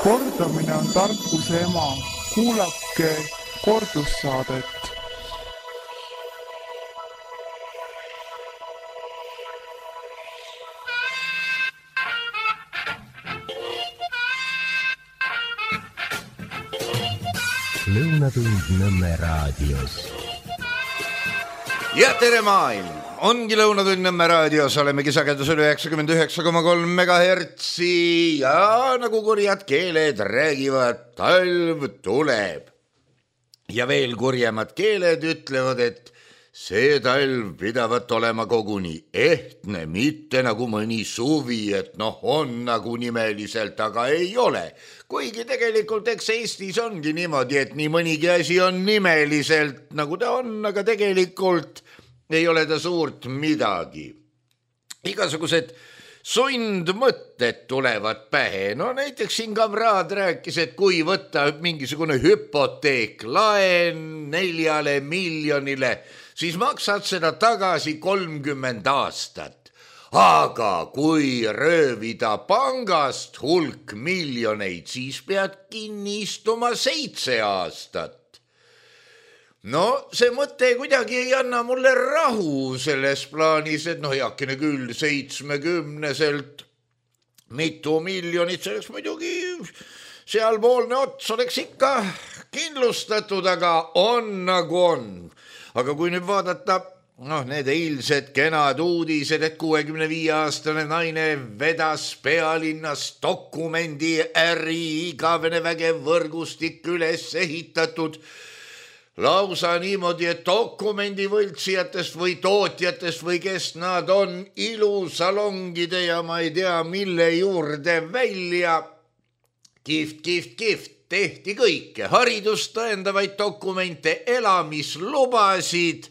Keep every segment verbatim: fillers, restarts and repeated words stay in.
Kordamine on tarkuse ema. Kuulake kordussaadet. Lõunatund Nõmme raadios. Ja tere maailm! Ongi Lõunatund Nõmme raadios, olemegi sagedusel üheksakümmend üheksa koma kolm megahertsi ja nagu kurjad keeled räägivad, talv tuleb. Ja veel kurjemad keeled ütlevad, et see talv pidavat olema koguni ehtne, mitte nagu mõni suvi, et noh, on nagu nimeliselt, aga ei ole. Kuigi tegelikult eks Eestis ongi niimoodi, et nii mõnigi asi on nimeliselt nagu ta on, aga tegelikult ei ole ta suurt midagi. Igasugused sundmõtted tulevad pähe. No näiteks siin kamraad rääkis, et kui võtta mingisugune hüpoteek laen neljale miljonile, siis maksad seda tagasi kolmkümmend aastat. Aga kui röövida pangast hulk miljoneid, siis pead kinni istuma seitse aastat. No see mõte kuidagi ei anna mulle rahu selles plaanis, et noh, heakene küll seitsmekümneselt mitu miljonit, selleks muidugi sealpoolne ots oleks ikka kindlustatud, aga on nagu on. Aga kui nüüd vaadata, noh, need eilsed kenad uudised, et kuuekümne viie aastane naine vedas pealinnas dokumendi äri, igavene vägev võrgustik üles ehitatud, lausa niimoodi, et dokumendi võltsijatest või tootjatest või kes nad on ilusalongide ja ma ei tea mille juurde välja. Kift, kift, kift, tehti kõike, haridust tõendavaid dokumente, elamislubasid.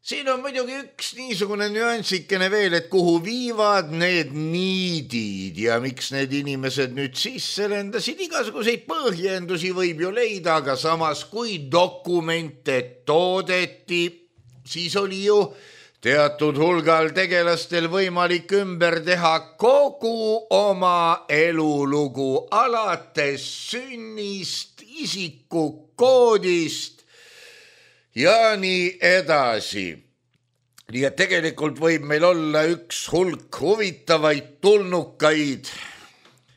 Siin on muidugi üks niisugune nüansikene veel, et kuhu viivad need niidid ja miks need inimesed nüüd sisse lendasid, igasuguseid põhjendusi võib ju leida, aga samas kui dokumente toodeti, siis oli ju teatud hulgal tegelastel võimalik ümber teha kogu oma elulugu alates sünnist, isikukoodist ja nii edasi. Nii et tegelikult võib meil olla üks hulk huvitavaid tulnukaid,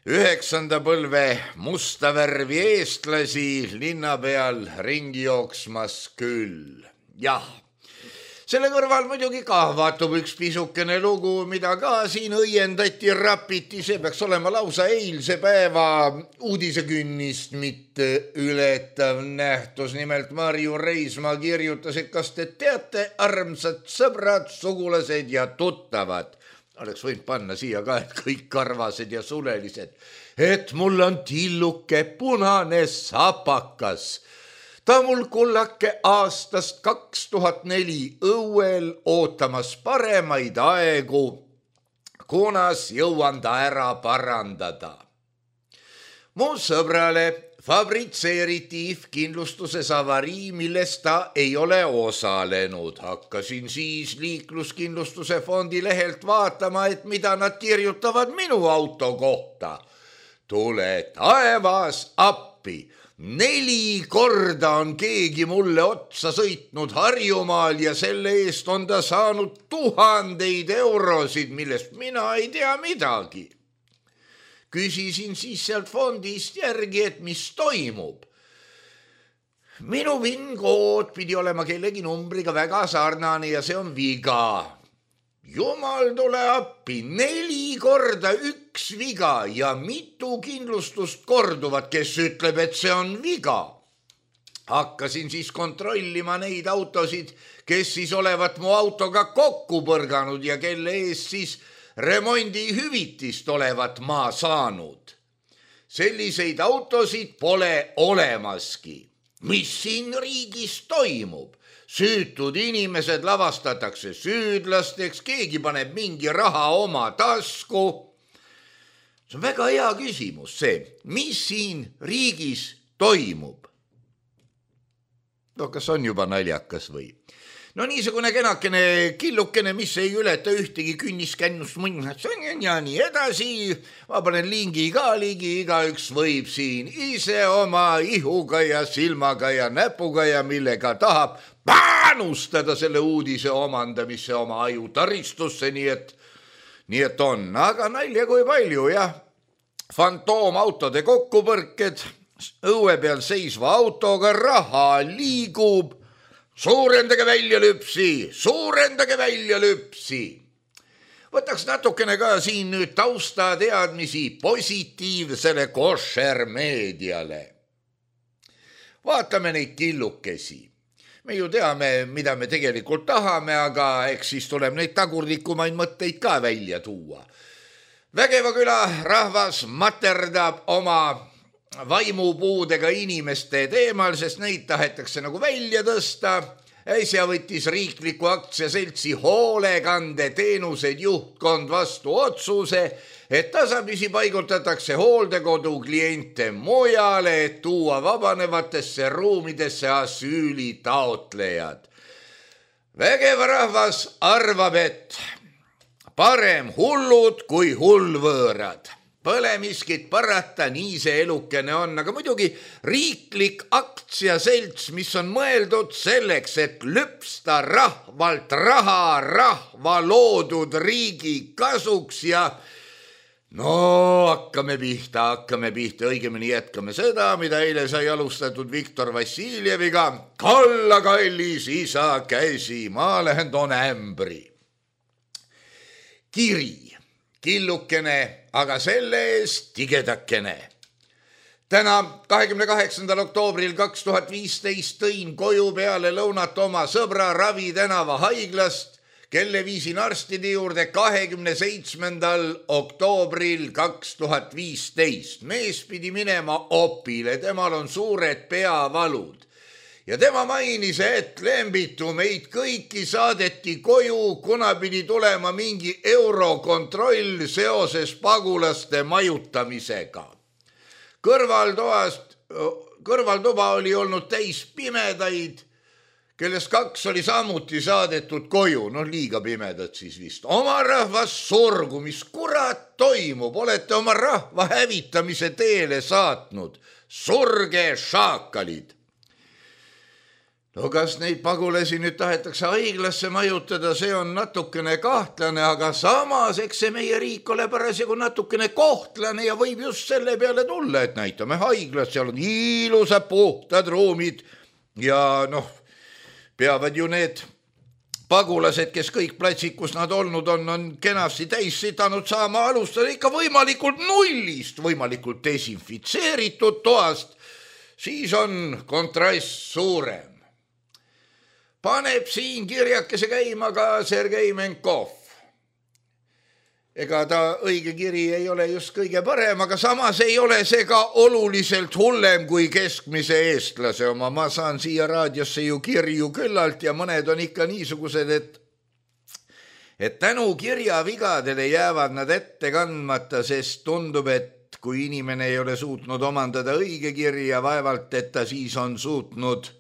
üheksanda põlve musta värvi eestlasi linna peal ringi jooksmas küll. Jah, selle kõrval muidugi ka vaatub üks pisukene lugu, mida ka siin õiendati, rapiti, see peaks olema lausa eilse päeva uudisekünnist mitte ületav nähtus. Nimelt Marju Reismaa kirjutas, et kas te teate, armsad sõbrad, sugulased ja tuttavad, oleks võinud panna siia ka, et kõik karvased ja sulelised, et mul on tilluke punane sapakas. Ta mul kullake aastast kaks tuhat neli õuel ootamas paremaid aegu, kunas jõuan ta ära parandada. Mu sõbrale fabritseeriti I F-kindlustuses avarii, millest ta ei ole osalenud. Hakkasin siis liikluskindlustuse fondi lehelt vaatama, et mida nad kirjutavad minu auto kohta. Tule taevas appi. Neli korda on keegi mulle otsa sõitnud Harjumaal ja selle eest on ta saanud tuhandeid eurosid, millest mina ei tea midagi. Küsisin siis sealt fondist järgi, et mis toimub. Minu PIN-kood pidi olema kellegi numbriga väga sarnane ja see on viga. Jumal tule appi, neli korda üks viga ja mitu kindlustust korduvad, kes ütleb, et see on viga. Hakkasin siis kontrollima neid autosid, kes siis olevat mu autoga kokku põrganud ja kelle eest siis remondi hüvitist olevat ma saanud. Selliseid autosid pole olemaski. Mis siin riigis toimub? Süütud inimesed lavastatakse süüdlasteks, keegi paneb mingi raha oma tasku. See on väga hea küsimus see, mis siin riigis toimub. No kas on juba naljakas või? no niisugune kenakene killukene, mis ei ületa ühtegi künniskännust mõnnas ja nii edasi. Ma panen lingi ka ligi, igaüks võib siin ise oma ihuga ja silmaga ja näpuga ja millega tahab panustada selle uudise omandamisse oma aju taristusse, nii et, nii et on. Aga nalja kui palju, jah. Fantoomautode kokkupõrked, õue peal seisva autoga raha liigub. Suurendage välja lüpsi, suurendage välja lüpsi. Võtaks natukene ka siin nüüd tausta teadmisi positiivsele košer meediale. Vaatame neid killukesi. Me ju teame, mida me tegelikult tahame, aga eks siis tuleb neid tagurdikumaid mõtteid ka välja tuua. Vägeva küla rahvas materdab oma vaimupuudega inimeste teemal, sest neid tahetakse nagu välja tõsta. Äsja võttis riikliku aktsiaseltsi hoolekandeteenused juhtkond vastu otsuse, et tasapisi paigutatakse hooldekodu kliente mujale, et tuua vabanevatesse ruumidesse asüüli taotlejad. Vägeva rahvas arvab, et parem hullud kui hullvõõrad. Põle miskit parata, nii see elukene on, aga muidugi riiklik aktsiaselts, mis on mõeldud selleks, et lüpsta rahvalt raha rahva loodud riigi kasuks ja no hakkame pihta, hakkame pihta, õigemini jätkame seda, mida eile sai alustatud Viktor Vassiljeviga. Kalla kallis isa käsi, ma lähen toon ämbri. Kiri. Killukene, aga selle eest tigedakene. Täna kahekümne kaheksandal oktoobril kaks tuhat viisteist tõin koju peale lõunat oma sõbra Ravi tänava haiglast, kelle viisin arstide juurde kahekümne seitsmendal oktoobril kaks tuhat viisteist. Mees pidi minema opile, temal on suured peavalud. Ja tema mainis, et lembitu meid kõiki saadeti koju, kuna pidi tulema mingi eurokontroll seoses pagulaste majutamisega. Kõrvaltoast, kõrvaltuba oli olnud täis pimedaid, kellest kaks oli samuti saadetud koju, no liiga pimedad siis vist. Oma rahvas surgu, mis kurat toimub, olete oma rahva hävitamise teele saatnud. Surge šaakalid. No kas neid pagulasi nüüd tahetakse haiglasse majutada, see on natukene kahtlane, aga samas eks see meie riik ole parasjagu natukene kohtlane ja võib just selle peale tulla, et näitame haiglas, seal on ilusad puhtad ruumid ja noh, peavad ju need pagulased, kes kõik platsid, kus nad olnud on, on kenasti täis sitanud saama alustada ikka võimalikult nullist, võimalikult desinfitseeritud toast, siis on kontrast suurem. Paneb siin kirjakese käima ka Sergei Menkov. Ega ta õige kiri ei ole just kõige parem, aga samas ei ole see ka oluliselt hullem kui keskmise eestlase oma. Ma saan siia raadiosse ju kirju küllalt ja mõned on ikka niisugused, et, et tänu kirjavigadele jäävad nad ette kandmata, sest tundub, et kui inimene ei ole suutnud omandada õige kirja, vaevalt, et ta siis on suutnud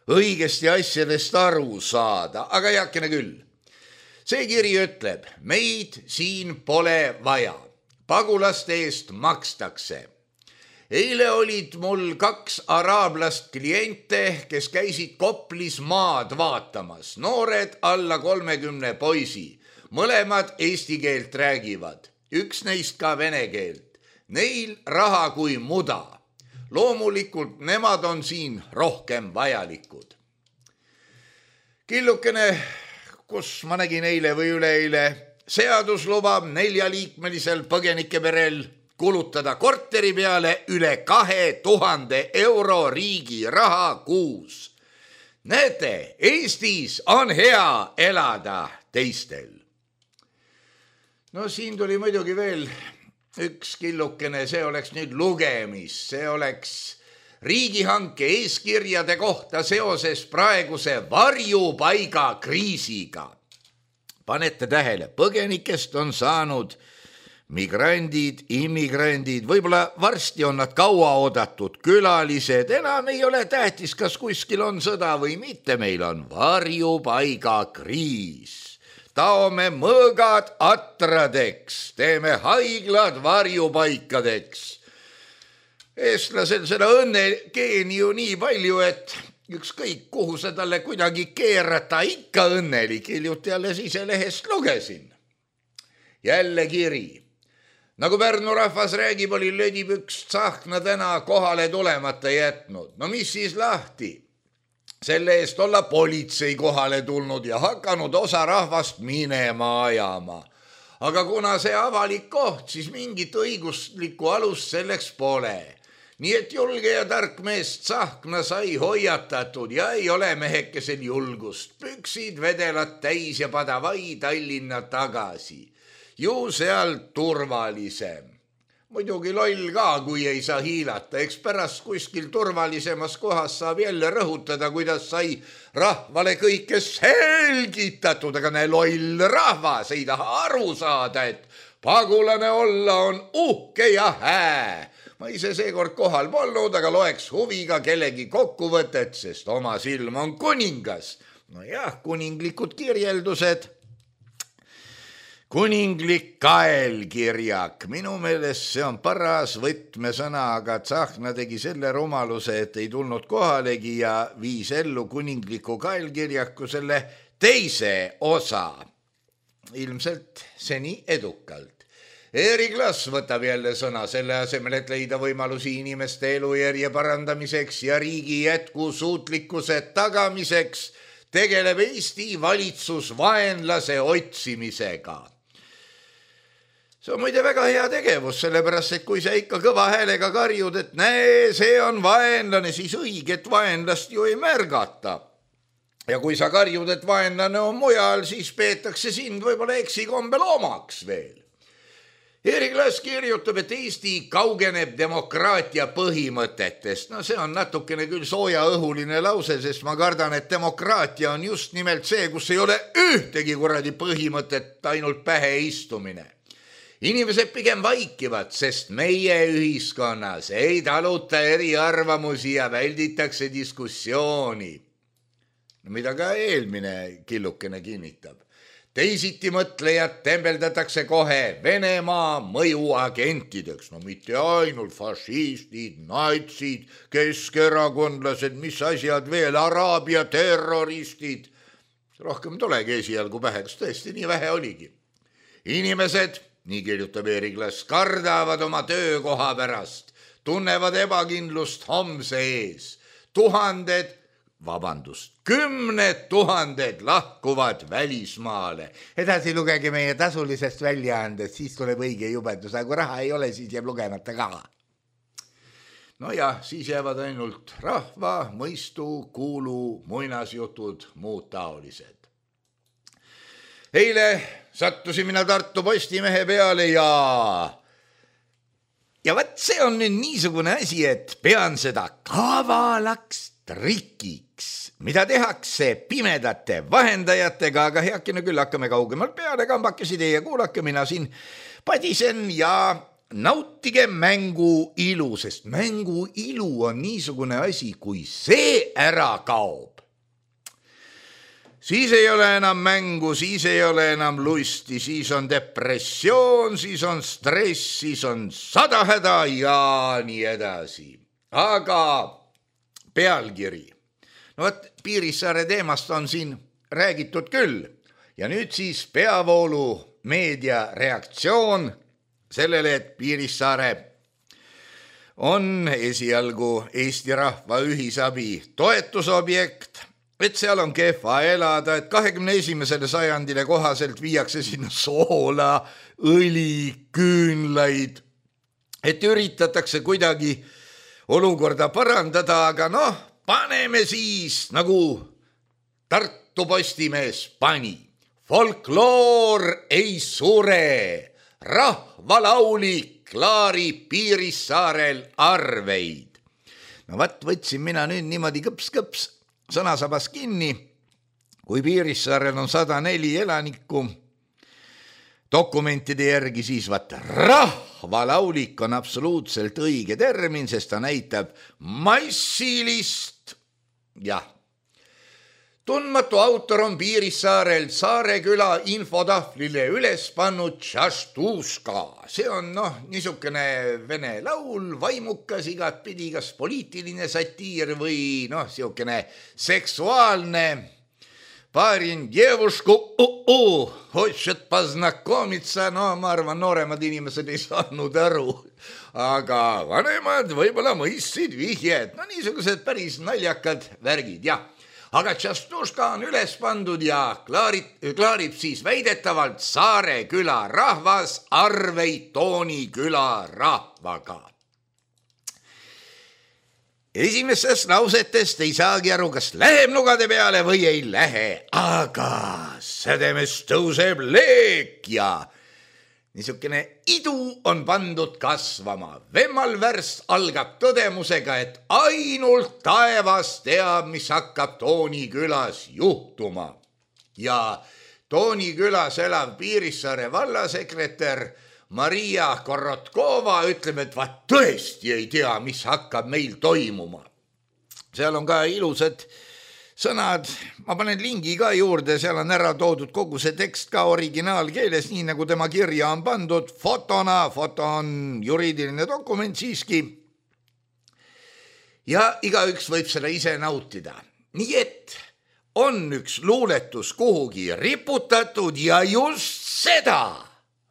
õigesti asjadest aru saada, aga heakene küll. See kiri ütleb, meid siin pole vaja, pagulaste eest makstakse. Eile olid mul kaks araablast kliente, kes käisid Koplis maad vaatamas, noored alla kolmekümne poisi, mõlemad eesti keelt räägivad, üks neist ka vene keelt, neil raha kui muda. Loomulikult nemad on siin rohkem vajalikud. Killukene, kus ma nägin eile või üleeile, seadus lubab neljaliikmelisel põgenikeperel kulutada korteri peale üle kahe tuhande euro riigi raha kuus. Näete, Eestis on hea elada teistel. No siin tuli muidugi veel üks killukene, see oleks nüüd lugemis, see oleks riigihanke eeskirjade kohta seoses praeguse varjupaiga kriisiga. Panete tähele, põgenikest on saanud migrandid, immigrandid, võib-olla varsti on nad kaua oodatud külalised, enam ei ole tähtis, kas kuskil on sõda või mitte, meil on varjupaigakriis. Taome mõõgad atradeks, teeme haiglad varjupaikadeks. Eestlasel seda õnnegeeni ju nii palju, et ükskõik kuhu sa talle kuidagi keerata, ikka õnnelik, hiljuti alles ise lehest lugesin. Jälle kiri. Nagu Pärnu rahvas räägib, oli lödipüks Tsahkna täna kohale tulemata jätnud. No mis siis lahti? Selle eest olla politsei kohale tulnud ja hakanud osa rahvast minema ajama. Aga kuna see avalik koht, siis mingit õiguslikku alust selleks pole. Nii et julge ja tark mees Tsahkna sai hoiatatud ja ei ole mehekesel julgust. Püksid vedelad täis ja padavai Tallinna tagasi. Ju seal turvalisem. Muidugi loll ka, kui ei saa hiilata. Eks pärast kuskil turvalisemas kohas saab jälle rõhutada, kuidas sai rahvale kõike selgitatud, aga ne loll rahvas ei taha aru saada, et pagulane olla on uhke ja hää. Ma ise seekord kohal polnud, aga loeks huviga kellegi kokkuvõtet, sest oma silm on kuningas. No jah, kuninglikud kirjeldused. Kuninglik kaelkirjak, minu meelest see on paras võtmesõna, aga Tsahkna tegi selle rumaluse, et ei tulnud kohalegi ja viis ellu kuningliku kaelkirjaku selle teise osa. Ilmselt seni edukalt. Erik Lass võtab jälle sõna selle asemel, et leida võimalusi inimeste elujärje parandamiseks ja riigi jätkusuutlikkuse tagamiseks, tegeleb Eesti valitsus vaenlase otsimisega. See on muide väga hea tegevus, sellepärast, et kui sa ikka kõva häälega karjud, et näe, see on vaenlane, siis õiget vaenlast ju ei märgata. Ja kui sa karjud, et vaenlane on mujal, siis peetakse sind võib-olla eksikombel omaks veel. Erik Lass kirjutab, et Eesti kaugeneb demokraatia põhimõtetest. No see on natukene küll soojaõhuline lause, sest ma kardan, et demokraatia on just nimelt see, kus ei ole ühtegi kuradi põhimõtet, ainult pähe istumine. Inimesed pigem vaikivad, sest meie ühiskonnas ei taluta eriarvamusi ja välditakse diskussiooni. Mida ka eelmine killukene kinnitab. Teisiti mõtlejad tembeldatakse kohe Venemaa mõjuagentideks. No mitte ainult fašistid, natsid, keskerakondlased, mis asjad veel, araabia terroristid. Rohkem tulegi esialgu pähe, kas tõesti nii vähe oligi. Inimesed, nii kirjutab Erik Lass, kardavad oma töökoha pärast, tunnevad ebakindlust homse ees. Tuhanded, vabandust, kümned tuhanded lahkuvad välismaale. Edasi lugege meie tasulisest väljaandest, siis tuleb õige jubedus, aga kui raha ei ole, siis jääb lugemata ka. No jah, siis jäävad ainult rahva, mõistu, kuulu, muinasjutud, muud taolised. Eile sattusin mina Tartu Postimehe peale ja ja võt see on nüüd niisugune asi, et pean seda kavalaks trikiks, mida tehakse pimedate vahendajatega, aga heakene küll hakkame kaugemalt peale, kambakesi teie kuulake, mina siin padisen ja nautige mängu ilu, sest mängu ilu on niisugune asi, kui see ära kaob. Siis ei ole enam mängu, siis ei ole enam lusti, siis on depressioon, siis on stress, siis on sada häda ja nii edasi. Aga pealkiri. No võt, Piirissaare teemast on siin räägitud küll. Ja nüüd siis peavoolu meedia reaktsioon sellele, et Piirissaare on esialgu Eesti Rahva Ühisabi toetusobjekt, et seal on kehva elada, et kahekümne esimesele sajandile kohaselt viiakse sinna soola, õli, küünlaid, et üritatakse kuidagi olukorda parandada, aga noh, paneme siis nagu Tartu Postimees pani. Folkloor ei sure, rahvalaulik klaarib Piirissaarel arveid. No vaat võtsin mina nüüd niimoodi kõps-kõps sõnasabas kinni, kui Piirissaarel on sada neli elanikku, dokumentide järgi siis vaat rahvalaulik on absoluutselt õige termin, sest ta näitab massilist, jah. Tundmatu autor on Piirissaarel Saareküla infotahvlile üles pannud Tšaštuška. See on noh, niisugune vene laul, vaimukas igatpidi, kas poliitiline satiir või noh, siukene seksuaalne. Parin djevушку, uh-uh, хочет познакомиться, no ma arvan, nooremad inimesed ei saanud aru, aga vanemad võib-olla mõistsid vihjed, no niisugused päris naljakad värgid, jah. Aga Tšaštuška on üles pandud ja klaarib, klaarib siis väidetavalt Saareküla rahvas arveid Tooniküla rahvaga. Esimestest lausetest ei saagi aru, kas läheb nugade peale või ei lähe, aga sädemest tõuseb leek ja niisugune idu on pandud kasvama. Vemmal värst algab tõdemusega, et ainult taevas teab, mis hakkab Toonikülas juhtuma. Ja Toonikülas elav Piirissaare vallasekretär Maria Korotkova ütleb, et vaat tõesti ei tea, mis hakkab meil toimuma. Seal on ka ilusad sõnad, ma panen lingi ka juurde, seal on ära toodud kogu see tekst ka originaalkeeles, nii nagu tema kirja on pandud fotona, foto on juriidiline dokument siiski. Ja igaüks võib seda ise nautida. Nii et on üks luuletus kuhugi riputatud ja just seda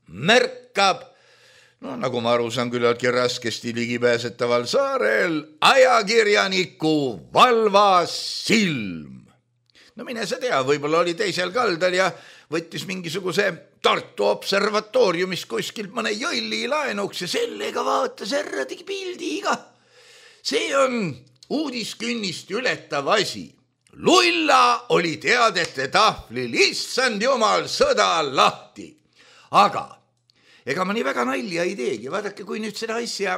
märkab, no nagu ma aru saan, küllaltki raskesti ligipääsetaval saarel ajakirjaniku valvas silm. No mine sa tea, võib-olla oli teisel kaldal ja võttis mingisuguse Tartu observatooriumis kuskilt mõne jõlli laenuks ja sellega vaatas ära tegi pildiga. See on uudiskünnist ületav asi. Lulla oli teadete tahvlil, issand jumal, sõda lahti. Aga ega ma nii väga nalja ei teegi, vaadake, kui nüüd seda asja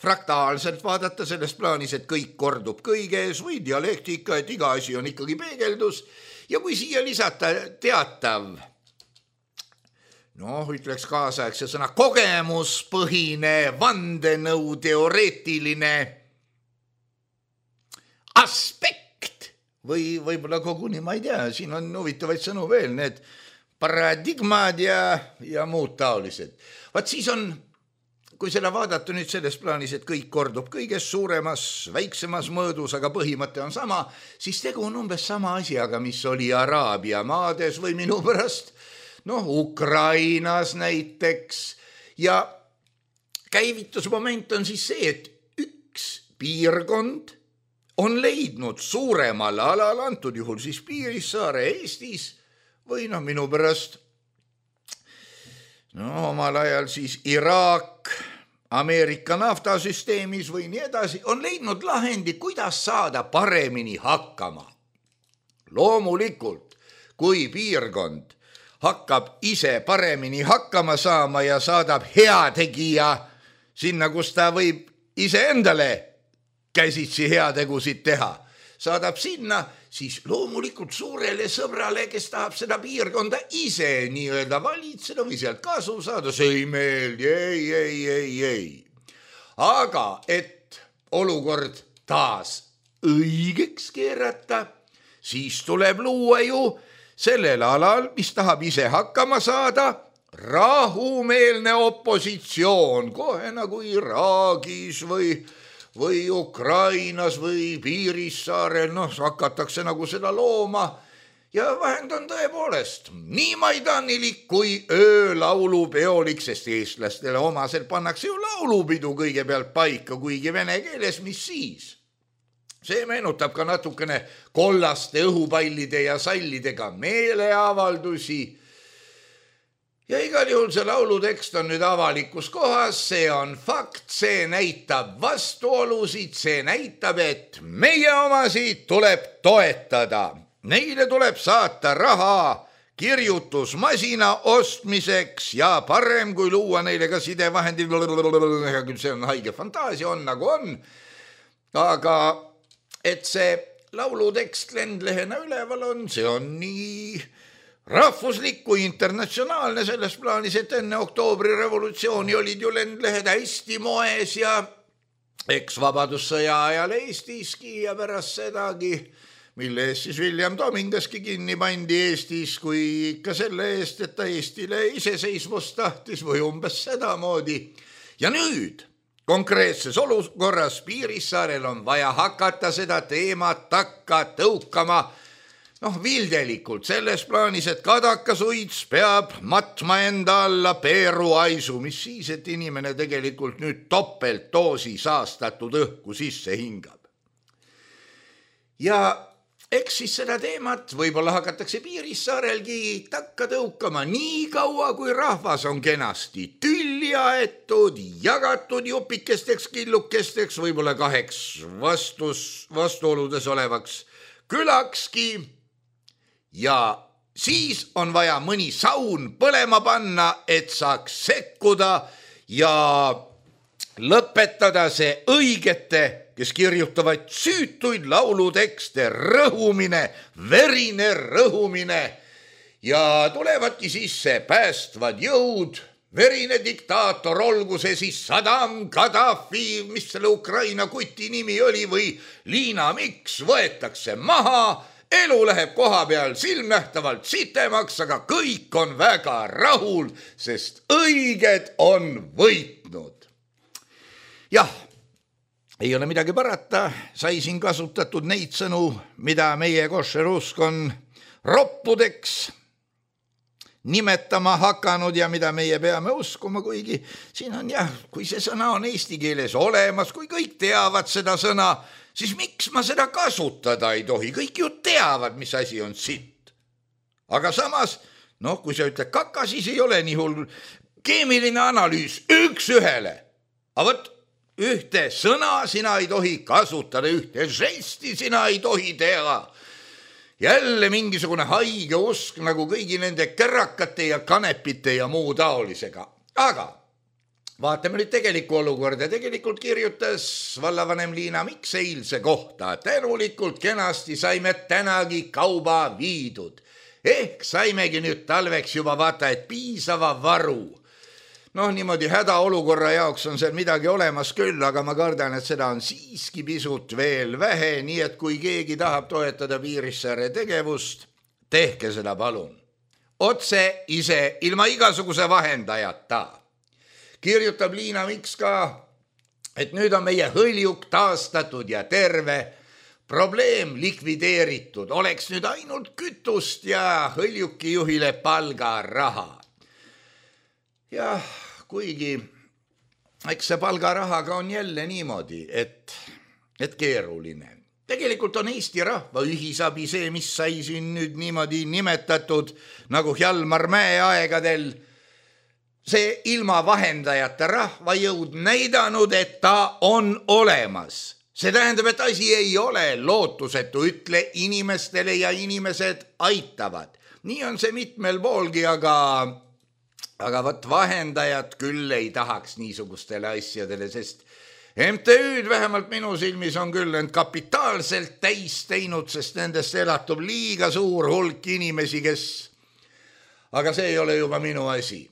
fraktaalselt vaadata selles plaanis, et kõik kordub kõiges või dialektika, et iga asi on ikkagi peegeldus ja kui siia lisata teatav, noh, ütleks kaasaegse sõna kogemuspõhine, vandenõu teoreetiline aspekt või võib-olla koguni, ma ei tea, siin on huvitavaid sõnu veel, need paradigmad ja, ja muud taolised. Vaat siis on, kui seda vaadata nüüd selles plaanis, et kõik kordub kõiges suuremas, väiksemas mõõdus, aga põhimõte on sama, siis tegu on umbes sama asjaga, mis oli Araabia maades või minu pärast, noh, Ukrainas näiteks. Ja käivitusmoment on siis see, et üks piirkond on leidnud suuremal alal, antud juhul siis Piirissaare Eestis, või noh, minu pärast, no omal ajal siis Iraak, Ameerika naftasüsteemis või nii edasi, on leidnud lahendi, kuidas saada paremini hakkama. Loomulikult, kui piirkond hakkab ise paremini hakkama saama ja saadab heategija sinna, kus ta võib iseendale käsitsi heategusid teha, saadab sinna, siis loomulikult suurele sõbrale, kes tahab seda piirkonda ise nii-öelda valitseda või sealt kasu saada, see ei meeldi, ei, ei, ei, ei. Aga et olukord taas õigeks keerata, siis tuleb luua ju sellel alal, mis tahab ise hakkama saada, rahumeelne opositsioon, kohe nagu Iraagis või või Ukrainas või Piirissaarel, noh, hakatakse nagu seda looma ja vahend on tõepoolest nii maidanilik kui öölaulupeolik, sest eestlastele omaselt pannakse ju laulupidu kõigepealt paika, kuigi vene keeles, mis siis. See meenutab ka natukene kollaste õhupallide ja sallidega meeleavaldusi. Ja igal juhul see laulutekst on nüüd avalikus kohas, see on fakt, see näitab vastuolusid, see näitab, et meie omasid tuleb toetada. Neile tuleb saata raha kirjutusmasina ostmiseks ja parem kui luua neile ka sidevahendid, see on haige fantaasia, on nagu on, aga et see laulutekst lendlehena üleval on, see on nii rahvuslik kui internatsionaalne selles plaanis, et enne oktoobri revolutsiooni olid ju lendlehed hästi moes ja eks vabadussõja ajal Eestiski ja pärast sedagi, mille eest siis William Domingaski kinni pandi Eestis, kui ikka selle eest, et ta Eestile iseseisvust tahtis või umbes sedamoodi. Ja nüüd konkreetses olukorras Piirissaarel on vaja hakata seda teemat takka tõukama, noh, vildelikult selles plaanis, et kadakasuits peab matma enda alla peeruaisu, mis siis, et inimene tegelikult nüüd topeltdoosi saastatud õhku sisse hingab. Ja eks siis seda teemat võib-olla hakatakse Piirissaarelgi takka tõukama nii kaua, kui rahvas on kenasti tülli aetud, jagatud jupikesteks, killukesteks, võib-olla kaheks vastus, vastuoludes olevaks külakski. Ja siis on vaja mõni saun põlema panna, et saaks sekkuda ja lõpetada see õigete, kes kirjutavad süütuid laulutekste, rõhumine, verine rõhumine ja tulevadki sisse päästvad jõud, verine diktaator, olgu see siis Saddam, Gaddafi, mis selle Ukraina kuti nimi oli, või Liina Miks, võetakse maha, elu läheb koha peal silmnähtavalt sitemaks, aga kõik on väga rahul, sest õiged on võitnud. Jah, ei ole midagi parata, sai siin kasutatud neid sõnu, mida meie košerusk on roppudeks nimetama hakanud ja mida meie peame uskuma, kuigi siin on jah, kui see sõna on eesti keeles olemas, kui kõik teavad seda sõna, siis miks ma seda kasutada ei tohi? Kõik ju teavad, mis asi on sitt. Aga samas, noh, kui sa ütled kaka, siis ei ole nii hull. Keemiline analüüs üks ühele. Aga võt, ühte sõna sina ei tohi kasutada, ühte žesti sina ei tohi teha. Jälle mingisugune haige usk nagu kõigi nende kärakate ja kanepite ja muu taolisega. Aga vaatame nüüd tegelikku olukorda. Tegelikult kirjutas vallavanem Liina Miks eilse kohta. Tänulikult kenasti saime tänagi kauba viidud. Ehk saimegi nüüd talveks juba vaata, et piisava varu. Noh, niimoodi hädaolukorra jaoks on seal midagi olemas küll, aga ma kardan, et seda on siiski pisut veel vähe, nii et kui keegi tahab toetada Piirissaare tegevust, tehke seda palun. Otse ise, ilma igasuguse vahendajata. Kirjutab Liina Miks ka, et nüüd on meie hõljuk taastatud ja terve, probleem likvideeritud, oleks nüüd ainult kütust ja hõljuki juhile palgaraha. Jah, kuigi eks see palgarahaga on jälle niimoodi, et, et keeruline. Tegelikult on Eesti rahva ühisabi see, mis sai siin nüüd niimoodi nimetatud nagu Hjalmar Mäe aegadel. See ilma vahendajate rahvajõud näidanud, et ta on olemas. See tähendab, et asi ei ole lootusetu, ütle inimestele ja inimesed aitavad. Nii on see mitmel poolgi, aga... Aga võt vahendajad küll ei tahaks niisugustele asjadele, sest M T Ü-d vähemalt minu silmis on küll end kapitaalselt täis teinud, sest nendest elatub liiga suur hulk inimesi, kes... Aga see ei ole juba minu asi.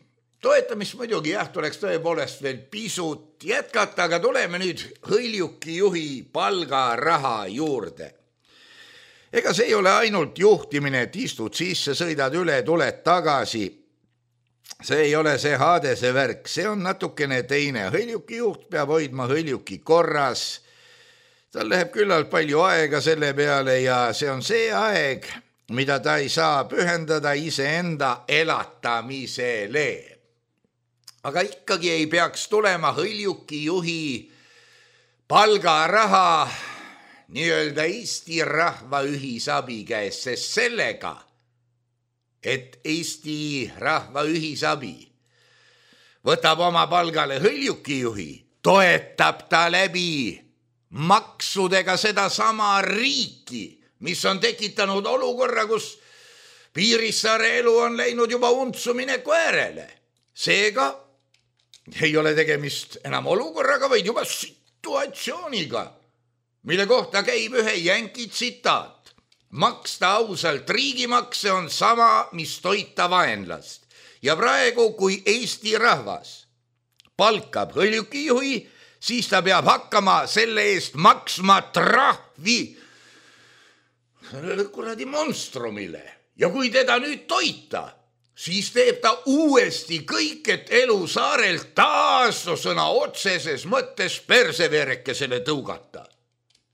Toetamist muidugi jah, tuleks tõepoolest veel pisut jätkata, aga tuleme nüüd hõljuki juhi palgaraha juurde. Ega see ei ole ainult juhtimine, et istud sisse, sõidad üle, tuled tagasi. See ei ole see Hadese värk, see on natukene teine. Hõljuki juht peab hoidma hõljuki korras. Tal läheb küllalt palju aega selle peale ja see on see aeg, mida ta ei saa pühendada iseenda elatamisele. Aga ikkagi ei peaks tulema hõljuki juhi palgaraha nii-öelda Eesti rahva ühisabi käes, sest sellega, et Eesti rahva ühisabi võtab oma palgale hõljuki juhi, toetab ta läbi maksudega seda sama riiki, mis on tekitanud olukorra, kus Piirissaare elu on läinud juba untsumine koerele. Seega ei ole tegemist enam olukorraga, vaid juba situatsiooniga, mille kohta käib ühe jänki tsitaat. maksta ausalt riigimakse on sama, mis toita vaenlast. Ja praegu, kui Eesti rahvas palkab hõljukijuhi, siis ta peab hakkama selle eest maksma trahvi sellele kuradi monstrumile. Ja kui teda nüüd toita, siis teeb ta uuesti kõik, et elu saarelt taas no sõna otseses mõttes perseverekesele tõugata.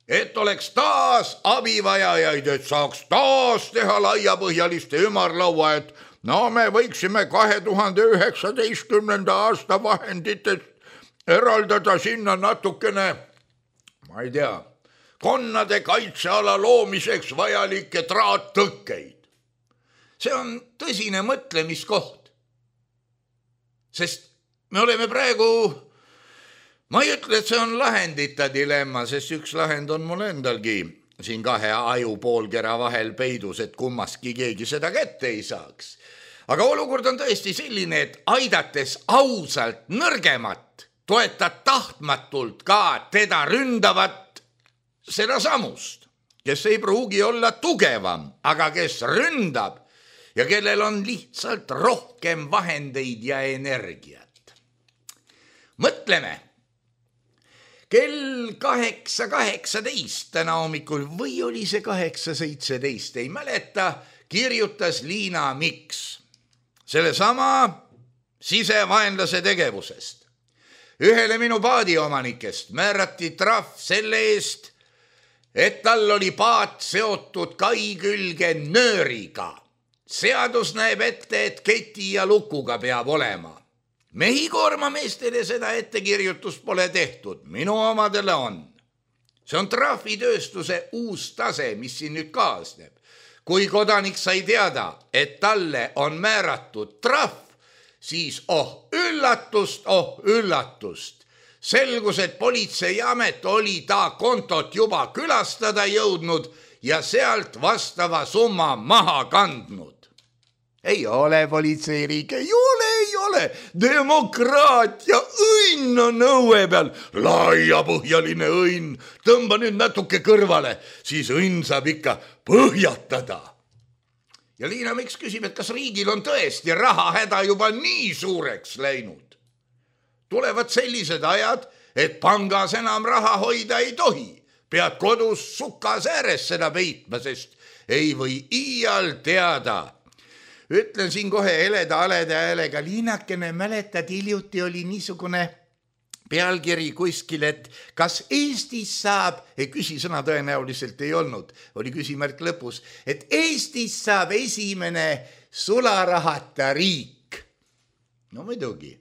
Et oleks taas abivajajaid, et saaks taas teha laiapõhjaliste ümarlaua, et no me võiksime kahe tuhande üheksateistkümnenda aasta vahenditest eraldada sinna natukene, ma ei tea, konnade kaitseala loomiseks vajalikke traattõkkeid. See on tõsine mõtlemiskoht, sest me oleme praegu, ma ei ütle, et see on lahendita dilemma, sest üks lahend on mul endalgi siin kahe aju poolkera vahel peidus, et kummaski keegi seda kätte ei saaks. Aga olukord on tõesti selline, et aidates ausalt nõrgemat, toetad tahtmatult ka teda ründavat seda samust, kes ei pruugi olla tugevam, aga kes ründab ja kellel on lihtsalt rohkem vahendeid ja energiat. Mõtleme, kell kaheksa kaheksateist täna hommikul või oli see kaheksa seitseteist, ei mäleta, kirjutas Liina Miks selle sama sisevaenlase tegevusest. Ühele minu paadiomanikest määrati trahv selle eest, et tal oli paat seotud kai külge nööriga. Seadus näeb ette, et keti ja lukuga peab olema. Mehikoormameestele seda ettekirjutust pole tehtud, minu omadele on. See on trahvitööstuse uus tase, mis siin nüüd kaasneb. Kui kodanik sai teada, et talle on määratud trahv, siis oh üllatust, oh üllatust. Selgus, et politseiamet oli ta kontot juba külastada jõudnud ja sealt vastava summa maha kandnud. Ei ole politseiriik, ei ole, ei ole. Demokraatia õnn on õue peal, laiapõhjaline õnn. Tõmba nüüd natuke kõrvale, siis õnn saab ikka põhjatada. Ja Liina Miks küsib, et kas riigil on tõesti rahahäda juba nii suureks läinud. Tulevad sellised ajad, et pangas enam raha hoida ei tohi. Pead kodus sukas ääres seda peitma, sest ei või iial teada. Ütlen siin kohe heleda aleda häälega, Liinakene, mäletad, hiljuti oli niisugune pealkiri kuskil, et kas Eestis saab, ei küsisõna tõenäoliselt ei olnud, oli küsimärk lõpus, et Eestis saab esimene sularahata riik. No muidugi,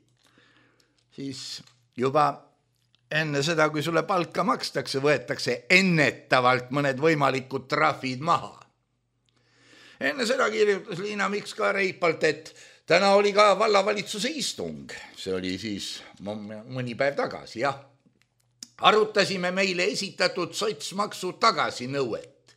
siis juba enne seda, kui sulle palka makstakse, võetakse ennetavalt mõned võimalikud trahvid maha. Enne seda kirjutas Liina Miks ka reipalt, et täna oli ka vallavalitsuse istung. See oli siis mõni päev tagasi, jah. Arutasime meile esitatud sotsmaksu tagasinõuet.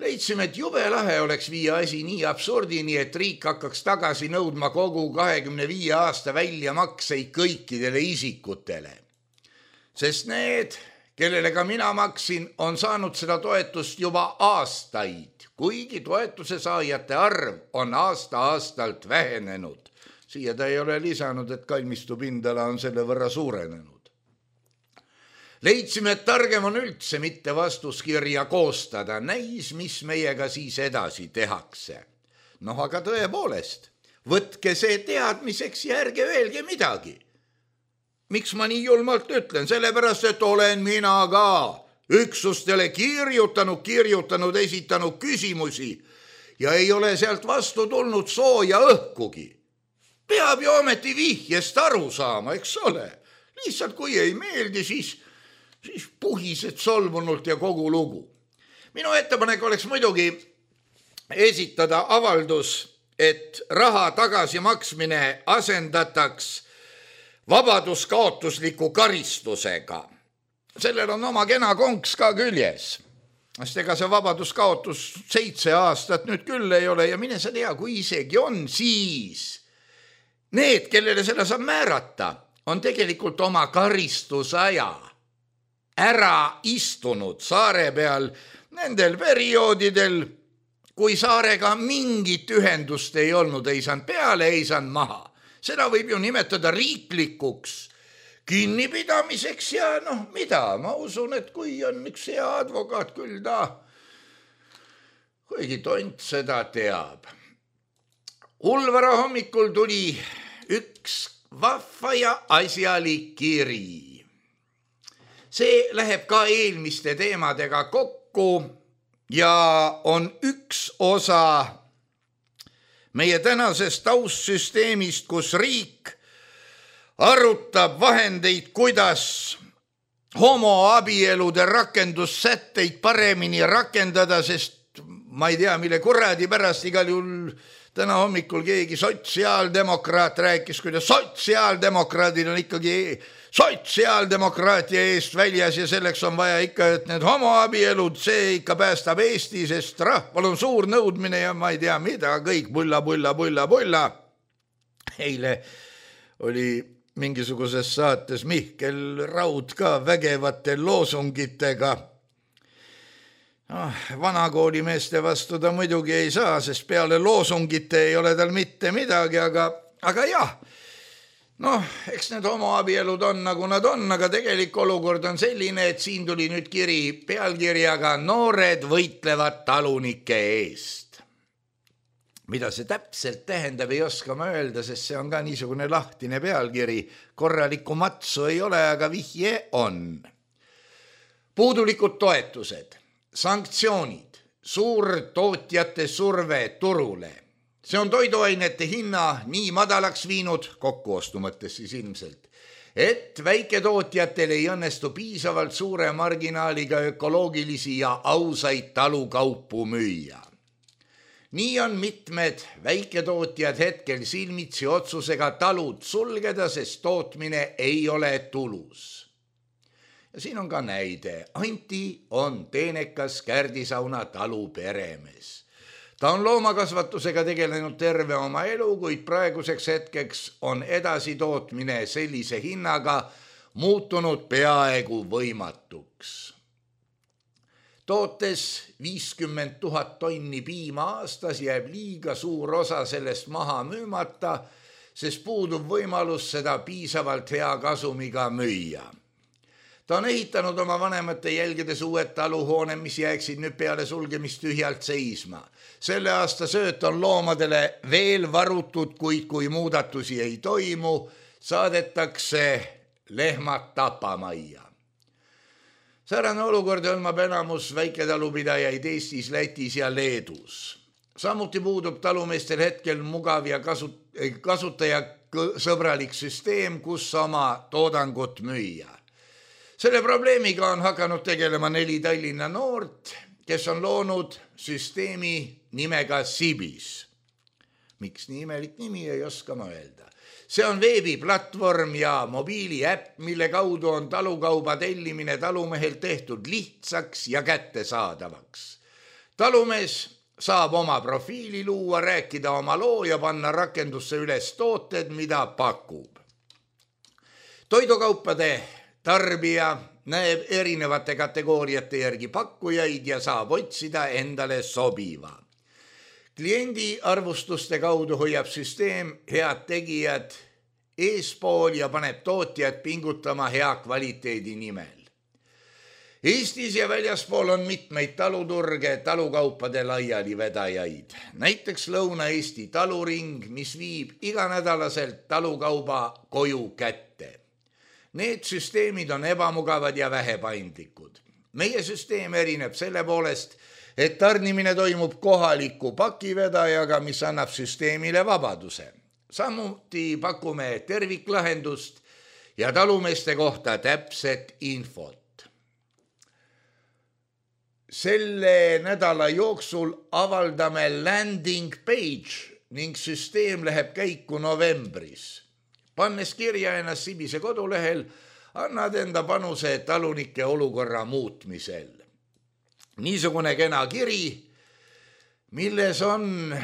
Leidsime, et jube lahe oleks viia asi nii absurdini, et riik hakkaks tagasi nõudma kogu kahekümne viie aasta väljamakseid kõikidele isikutele. Sest need, kellele ka mina maksin, on saanud seda toetust juba aastaid. Kuigi toetuse saajate arv on aasta-aastalt vähenenud. Siia ta ei ole lisanud, et kalmistu pindala on selle võrra suurenenud. Leidsime, et targem on üldse mitte vastuskirja koostada, näis, mis meiega siis edasi tehakse. Noh, aga tõepoolest, võtke see teadmiseks ja ärge öelge midagi. Miks ma nii julmalt ütlen? Sellepärast, et olen mina ka üksustele kirjutanud, kirjutanud, esitanud küsimusi ja ei ole sealt vastu tulnud sooja õhkugi. Peab ju ometi vihjest aru saama, eks ole. Lihtsalt kui ei meeldi, siis, siis puhised solvunult ja kogu lugu. Minu ettepanek oleks muidugi esitada avaldus, et raha tagasimaksmine asendataks vabaduskaotusliku karistusega. Sellel on oma kena konks ka küljes. Sest ega see vabaduskaotus seitse aastat nüüd küll ei ole ja mine sa tea, kui isegi on, siis need, kellele selle saab määrata, on tegelikult oma karistusaja ära istunud saare peal nendel perioodidel, kui saarega mingit ühendust ei olnud, ei saanud peale, ei saanud maha. Seda võib ju nimetada riiklikuks kinnipidamiseks ja noh, mida, ma usun, et kui on üks hea advokaat, küll ta, kuigi tont seda teab. Ulvara hommikul tuli üks vahva ja asjalik kiri. See läheb ka eelmiste teemadega kokku ja on üks osa meie tänasest taustsüsteemist, kus riik arutab vahendeid, kuidas homoabielude rakendussätteid paremini rakendada, sest ma ei tea, mille kuradi pärast igal juhul täna hommikul keegi sotsiaaldemokraat rääkis, kuidas sotsiaaldemokraadid on ikkagi sotsiaaldemokraatia eest väljas ja selleks on vaja ikka, et need homoabielud, see ikka päästab Eesti, sest rahval on suur nõudmine ja ma ei tea mida, kõik bulla, bulla, bulla, bulla. Eile oli mingisuguses saates Mihkel Raud ka vägevate loosungitega. Ah, vanakoolimeeste vastu ta muidugi ei saa, sest peale loosungite ei ole tal mitte midagi, aga, aga jah, noh, eks need homoabielud on nagu nad on, aga tegelik olukord on selline, et siin tuli nüüd kiri pealkirjaga Noored võitlevad talunike eest. Mida see täpselt tähendab, ei oska ma öelda, sest see on ka niisugune lahtine pealkiri. Korralikku matsu ei ole, aga vihje on. Puudulikud toetused, sanktsioonid, suurtootjate surve turule. See on toiduainete hinna nii madalaks viinud, kokkuostu mõttes siis ilmselt, et väiketootjatel ei õnnestu piisavalt suure marginaaliga ökoloogilisi ja ausaid talukaupu müüa. Nii on mitmed väiketootjad hetkel silmitsi otsusega talud sulgeda, sest tootmine ei ole tulus. Ja siin on ka näide. Anti on teenekas Kärdisauna talu peremees. Ta on loomakasvatusega tegelenud terve oma elu, kuid praeguseks hetkeks on edasitootmine sellise hinnaga muutunud peaaegu võimatuks. Tootes viiskümmend tuhat tonni piima aastas jääb liiga suur osa sellest maha müümata, sest puudub võimalus seda piisavalt hea kasumiga müüa. Ta on ehitanud oma vanemate jälgedes uued taluhoone, mis jääksid nüüd peale sulgemist tühjalt seisma. Selle aasta sööt on loomadele veel varutud, kuid kui muudatusi ei toimu, saadetakse lehmad tapamajja. Säärane olukord hõlmab enamus väiketalupidajaid Eestis, Lätis ja Leedus. Samuti puudub talumeestel hetkel mugav ja kasutajasõbralik süsteem, kus oma toodangut müüa. Selle probleemiga on hakanud tegelema neli Tallinna noort, kes on loonud süsteemi nimega Sibis. Miks nii imelik nimi, ei oska ma öelda. See on veebiplatvorm ja mobiiliäpp, mille kaudu on talukauba tellimine talumehel tehtud lihtsaks ja kättesaadavaks. Talumees saab oma profiili luua, rääkida oma loo ja panna rakendusse üles tooted, mida pakub. Toidukaupade tarbija näeb erinevate kategooriate järgi pakkujaid ja saab otsida endale sobiva. Kliendi arvustuste kaudu hoiab süsteem head tegijad eespool ja paneb tootjad pingutama hea kvaliteedi nimel. Eestis ja väljaspool on mitmeid taluturge, talukaupade laialivedajaid. Näiteks Lõuna-Eesti taluring, mis viib iganädalaselt talukauba koju kätte. Need süsteemid on ebamugavad ja vähepaindlikud. Meie süsteem erineb selle poolest, et tarnimine toimub kohaliku pakivedajaga, mis annab süsteemile vabaduse. Samuti pakume terviklahendust ja talumeeste kohta täpset infot. Selle nädala jooksul avaldame landing page ning süsteem läheb käiku novembris. Pannes kirja ennast Sibise kodulehel, annad enda panuse talunike olukorra muutmisel. Niisugune kena kiri, milles on,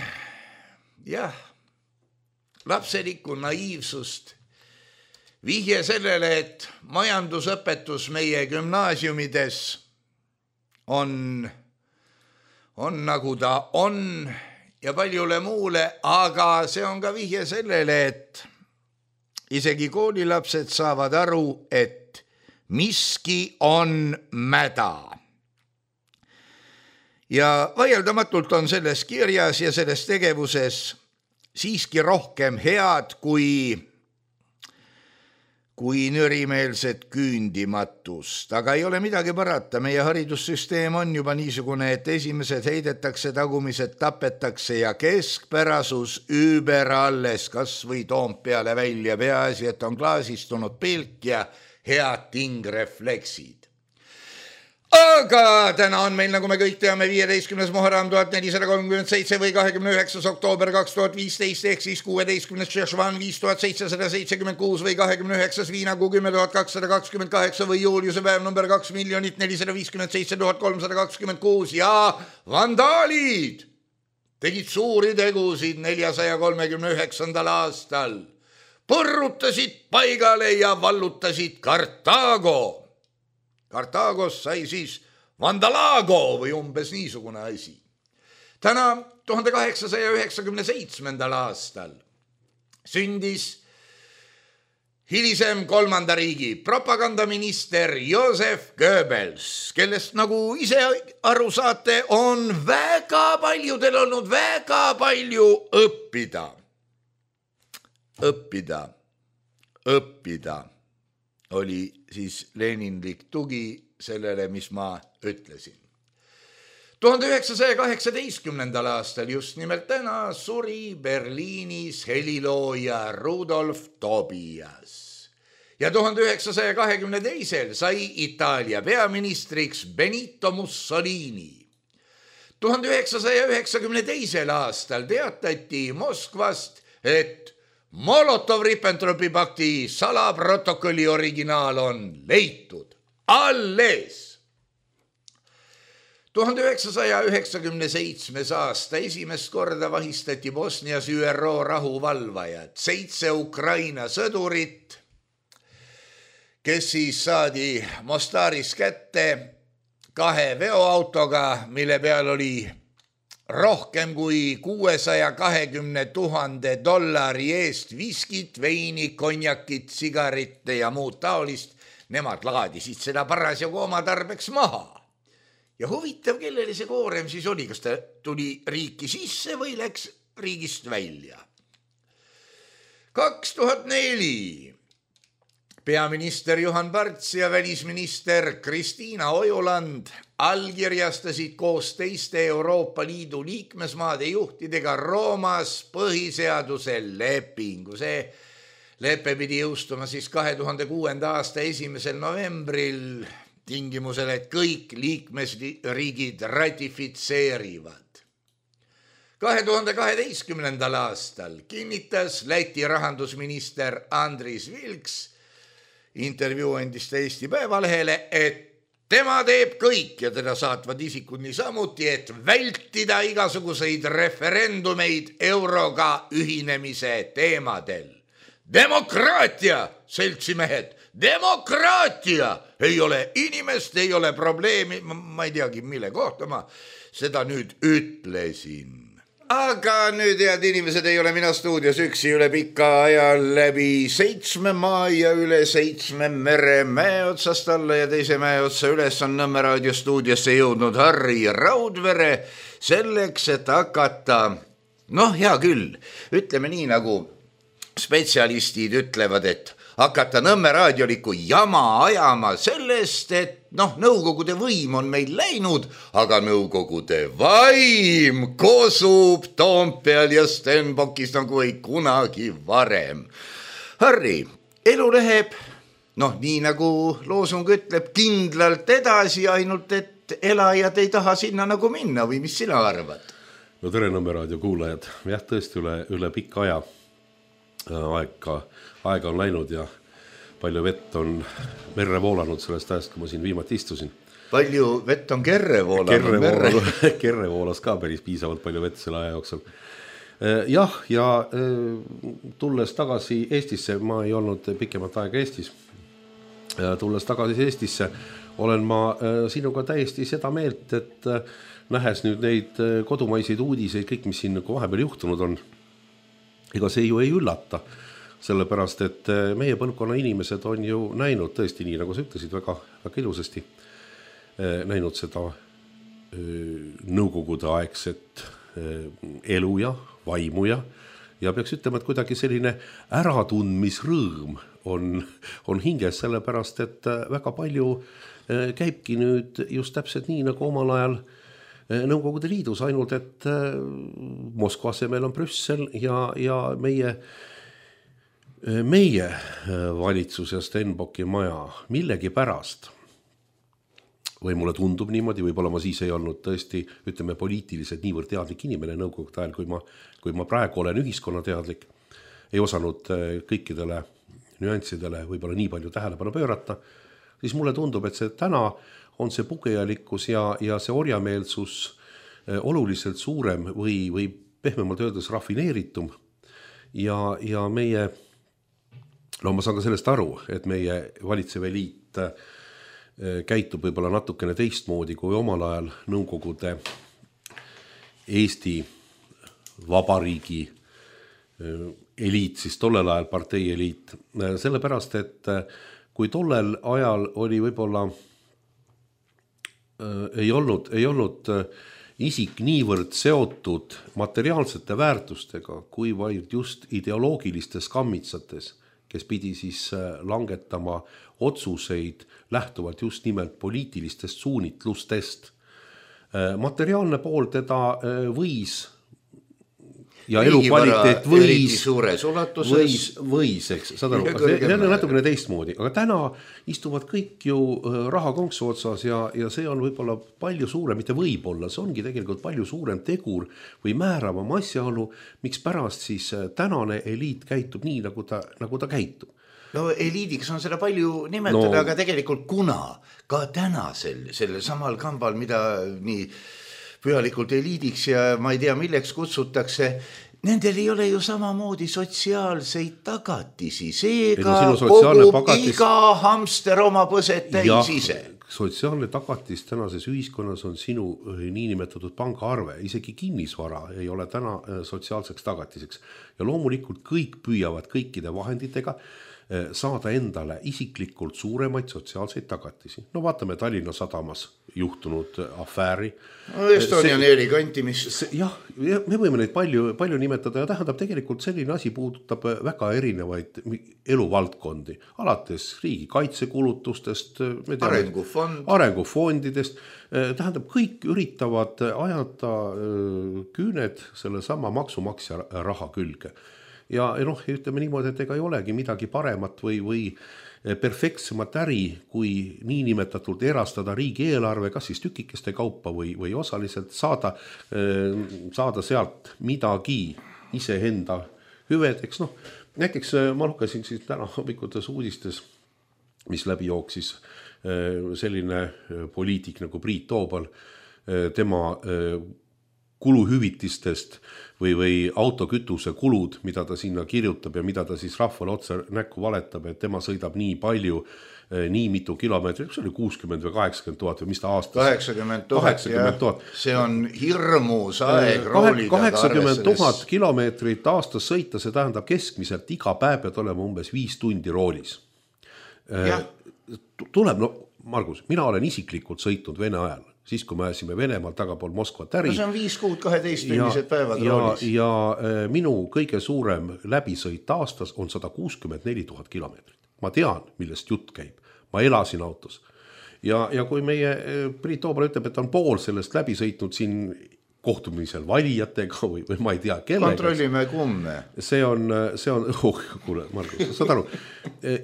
jah, lapselikku naiivsust vihje sellele, et majandusõpetus meie gümnaasiumides on, on nagu ta on ja paljule muule, aga see on ka vihje sellele, et isegi koolilapsed saavad aru, et miski on mäda. Ja vaieldamatult on selles kirjas ja selles tegevuses siiski rohkem head kui, kui nürimeelset küündimatust. Aga ei ole midagi parata, meie haridussüsteem on juba niisugune, et esimesed heidetakse, tagumised tapetakse ja keskpärasus üüber alles, kas või Toompeale välja, peaasi, et on klaasistunud pilk ja head tingrefleksid. Aga täna on meil, nagu me kõik teame, viieteistkümnes Muharram tuhat nelisada kolmkümmend seitse või kahekümne üheksas oktoober kaks tuhat viisteist ehk siis kuueteistkümnes Šešvan viis tuhat seitsesada seitsekümmend kuus või kahekümne üheksas Viinakuu kümme tuhat kakssada kakskümmend kaheksa või juuliuse päev number kaks miljonit nelisada viiskümmend seitse tuhat kolmsada kakskümmend kuus ja vandaalid tegid suuri tegusid neljasaja kolmekümne üheksandal aastal. Põrrutasid paigale ja vallutasid Kartaago. Kartaagos sai siis Vandalago või umbes niisugune asi. Täna tuhande kaheksasaja üheksakümne seitsmendal aastal sündis hilisem kolmanda riigi propagandaminister Joseph Goebbels, kellest nagu ise aru saate, on väga paljudel olnud väga palju õppida. Õppida, õppida. Oli siis leninlik tugi sellele, mis ma ütlesin. tuhande üheksasaja kaheksateistkümnendal aastal just nimelt täna suri Berliinis helilooja Rudolf Tobias. Ja tuhande üheksasaja kahekümne teisel sai Itaalia peaministriks Benito Mussolini. tuhande üheksasaja üheksakümne teisel aastal teatati Moskvast, et Molotov-Ribbentropi pakti salaprotokolli originaal on leitud alles. tuhande üheksasaja üheksakümne seitsmes aasta esimest korda vahistati Bosnias ÜRO rahuvalvajad, seitse Ukraina sõdurit, kes siis saadi Mostaris kätte kahe veoautoga, mille peal oli rohkem kui kuuesaja kahekümne tuhande dollari eest viskit, veini, konjakit, sigaritte ja muud taolist. Nemad laadisid seda parasjagu oma tarbeks maha. Ja huvitav, kellele see koorem siis oli, kas ta tuli riiki sisse või läks riigist välja. kaks tuhat neli peaminister Juhan Parts ja välisminister Kristiina Ojuland allkirjastasid koos teiste Euroopa Liidu liikmesmaade juhtidega Roomas põhiseaduse lepingu. See lepe pidi jõustuma siis kahe tuhande kuuenda aasta esimesel novembril tingimusel, et kõik liikmesriigid ratifitseerivad. kahe tuhande kaheteistkümnendal aastal kinnitas Läti rahandusminister Andris Vilks intervjuu endist Eesti Päevalehele, et tema teeb kõik ja teda saatvad isikud niisamuti, et vältida igasuguseid referendumeid euroga ühinemise teemadel. Demokraatia, seltsimehed, demokraatia! Ei ole inimest, ei ole probleemi, ma ei teagi, mille kohta ma seda nüüd ütlesin. Aga nüüd, head inimesed, ei ole mina stuudios üksi üle pika aja läbi seitsme maa ja üle seitsme mere mäe otsast alla ja teise mäe otsa üles on Nõmme raadio stuudiosse jõudnud Harri Raudvere selleks, et hakata, noh, hea küll, ütleme nii, nagu spetsialistid ütlevad, et hakata Nõmme raadioliku jama ajama sellest, et noh, nõukogude võim on meil läinud, aga nõukogude vaim kosub Toompeal ja Stenbockis nagu ei kunagi varem. Harri, elu läheb, noh, nii nagu loosung ütleb, kindlalt edasi, ainult et elajad ei taha sinna nagu minna või mis sina arvad? No tere Nõmme raadio kuulajad, jah, tõesti üle, üle pikka aja aega, aega on läinud ja palju vett on merre voolanud sellest ajast, kui ma siin viimati istusin. Palju vett on kerre voolanud? Kerre, vool, kerre voolas ka päris piisavalt palju vett selle aja jooksul. jah, ja tulles tagasi Eestisse, ma ei olnud pikemat aega Eestis, tulles tagasi Eestisse, olen ma sinuga täiesti seda meelt, et nähes nüüd neid kodumaiseid uudiseid, kõik, mis siin vahepeal juhtunud on, ega see ju ei üllata, sellepärast, et meie põlvkonna inimesed on ju näinud tõesti nii, nagu sa ütlesid, väga, väga ilusasti, näinud seda nõukogude aegset elu ja vaimu ja, ja peaks ütlema, et kuidagi selline äratundmisrõõm on, on hinges, sellepärast, et väga palju käibki nüüd just täpselt nii, nagu omal ajal Nõukogude Liidus, ainult et Moskva asemel on Brüssel ja, ja meie, meie valitsus ja Stenbocki maja millegi pärast, või mulle tundub niimoodi, võib-olla ma siis ei olnud tõesti, ütleme, poliitiliselt niivõrd teadlik inimene nõukogude ajal, kui ma, kui ma praegu olen ühiskonnateadlik, ei osanud kõikidele nüanssidele võib-olla nii palju tähelepanu pöörata, siis mulle tundub, et see täna on see pugejalikkus ja, ja see orjameelsus oluliselt suurem või, või pehmemalt öeldes rafineeritum ja, ja meie, no ma saan ka sellest aru, et meie valitsev eliit käitub võib-olla natukene teistmoodi kui omal ajal Nõukogude Eesti Vabariigi eliit, siis tollel ajal partei eliit, sellepärast, et kui tollel ajal oli võib-olla ei olnud, ei olnud isik niivõrd seotud materiaalsete väärtustega, kui vaid just ideoloogilistes kammitsates, kes pidi siis langetama otsuseid lähtuvalt just nimelt poliitilistest suunitlustest. Materiaalne pool teda võis ja elukvaliteet võis, võis, võis, eks, saad aru, see on natukene teistmoodi, aga täna istuvad kõik ju raha konksu otsas ja, ja see on võib-olla palju suurem, mitte võib-olla, see ongi tegelikult palju suurem tegur või määravam asjaolu, miks pärast siis tänane eliit käitub nii, nagu ta, nagu ta käitub. No eliidiks on seda palju nimetada, no, aga tegelikult kuna ka tänasel, selle samal kambal, mida nii pühalikult eliidiks ja ma ei tea, milleks kutsutakse, nendel ei ole ju samamoodi sotsiaalseid tagatisi, seega no, kogub pagatis... iga hamster oma põset täis ise. Sotsiaalne tagatis tänases ühiskonnas on sinu niinimetatud pangaarve, isegi kinnisvara ei ole täna sotsiaalseks tagatiseks ja loomulikult kõik püüavad kõikide vahenditega saada endale isiklikult suuremaid sotsiaalseid tagatisi. No vaatame Tallinna Sadamas juhtunud afääri. No Estonian Airi kantimist. Jah, me võime neid palju, palju nimetada ja tähendab tegelikult selline asi puudutab väga erinevaid eluvaldkondi. Alates riigi kaitsekulutustest, Arengufond. arengufondidest, tähendab kõik üritavad ajada küüned selle sama maksumaksja raha külge. Ja noh, ütleme niimoodi, et ega ei olegi midagi paremat või, või perfektsemat äri, kui niinimetatult erastada riigi eelarve, kas siis tükikeste kaupa või, või osaliselt saada, saada sealt midagi iseenda hüvedeks. No, näiteks ma lugesin siis täna hommikutes uudistes, mis läbi jooksis selline poliitik nagu Priit Toobal, tema kuluhüvitistest või, või autokütuse kulud, mida ta sinna kirjutab ja mida ta siis rahvale otse näkku valetab, et tema sõidab nii palju, nii mitu kilomeetrit, see oli kuuskümmend või kaheksakümmend tuhat või mis ta aastas? kaheksakümmend tuhat, see on hirmus aeg roolida. kaheksakümmend tuhat kilomeetrit aastas sõita, see tähendab keskmiselt iga päev pead olema umbes viis tundi roolis. Ja. Tuleb, no Margus, mina olen isiklikult sõitnud Vene ajal, siis kui me ajasime Venemaal tagapool Moskvat äri. No see on viis kuud kaheteistunnised päevad ja, roolis. Ja, ja minu kõige suurem läbisõit aastas on sada kuuskümmend neli tuhat kilomeetrit. Ma tean, millest jutt käib. Ma elasin autos. Ja, ja kui meie Priit Toobal ütleb, et on pool sellest läbi sõitnud siin kohtumisel valijatega või, või ma ei tea kellega. Kontrollime kumme. See on, see on, oh, kuule, Margus, saad aru,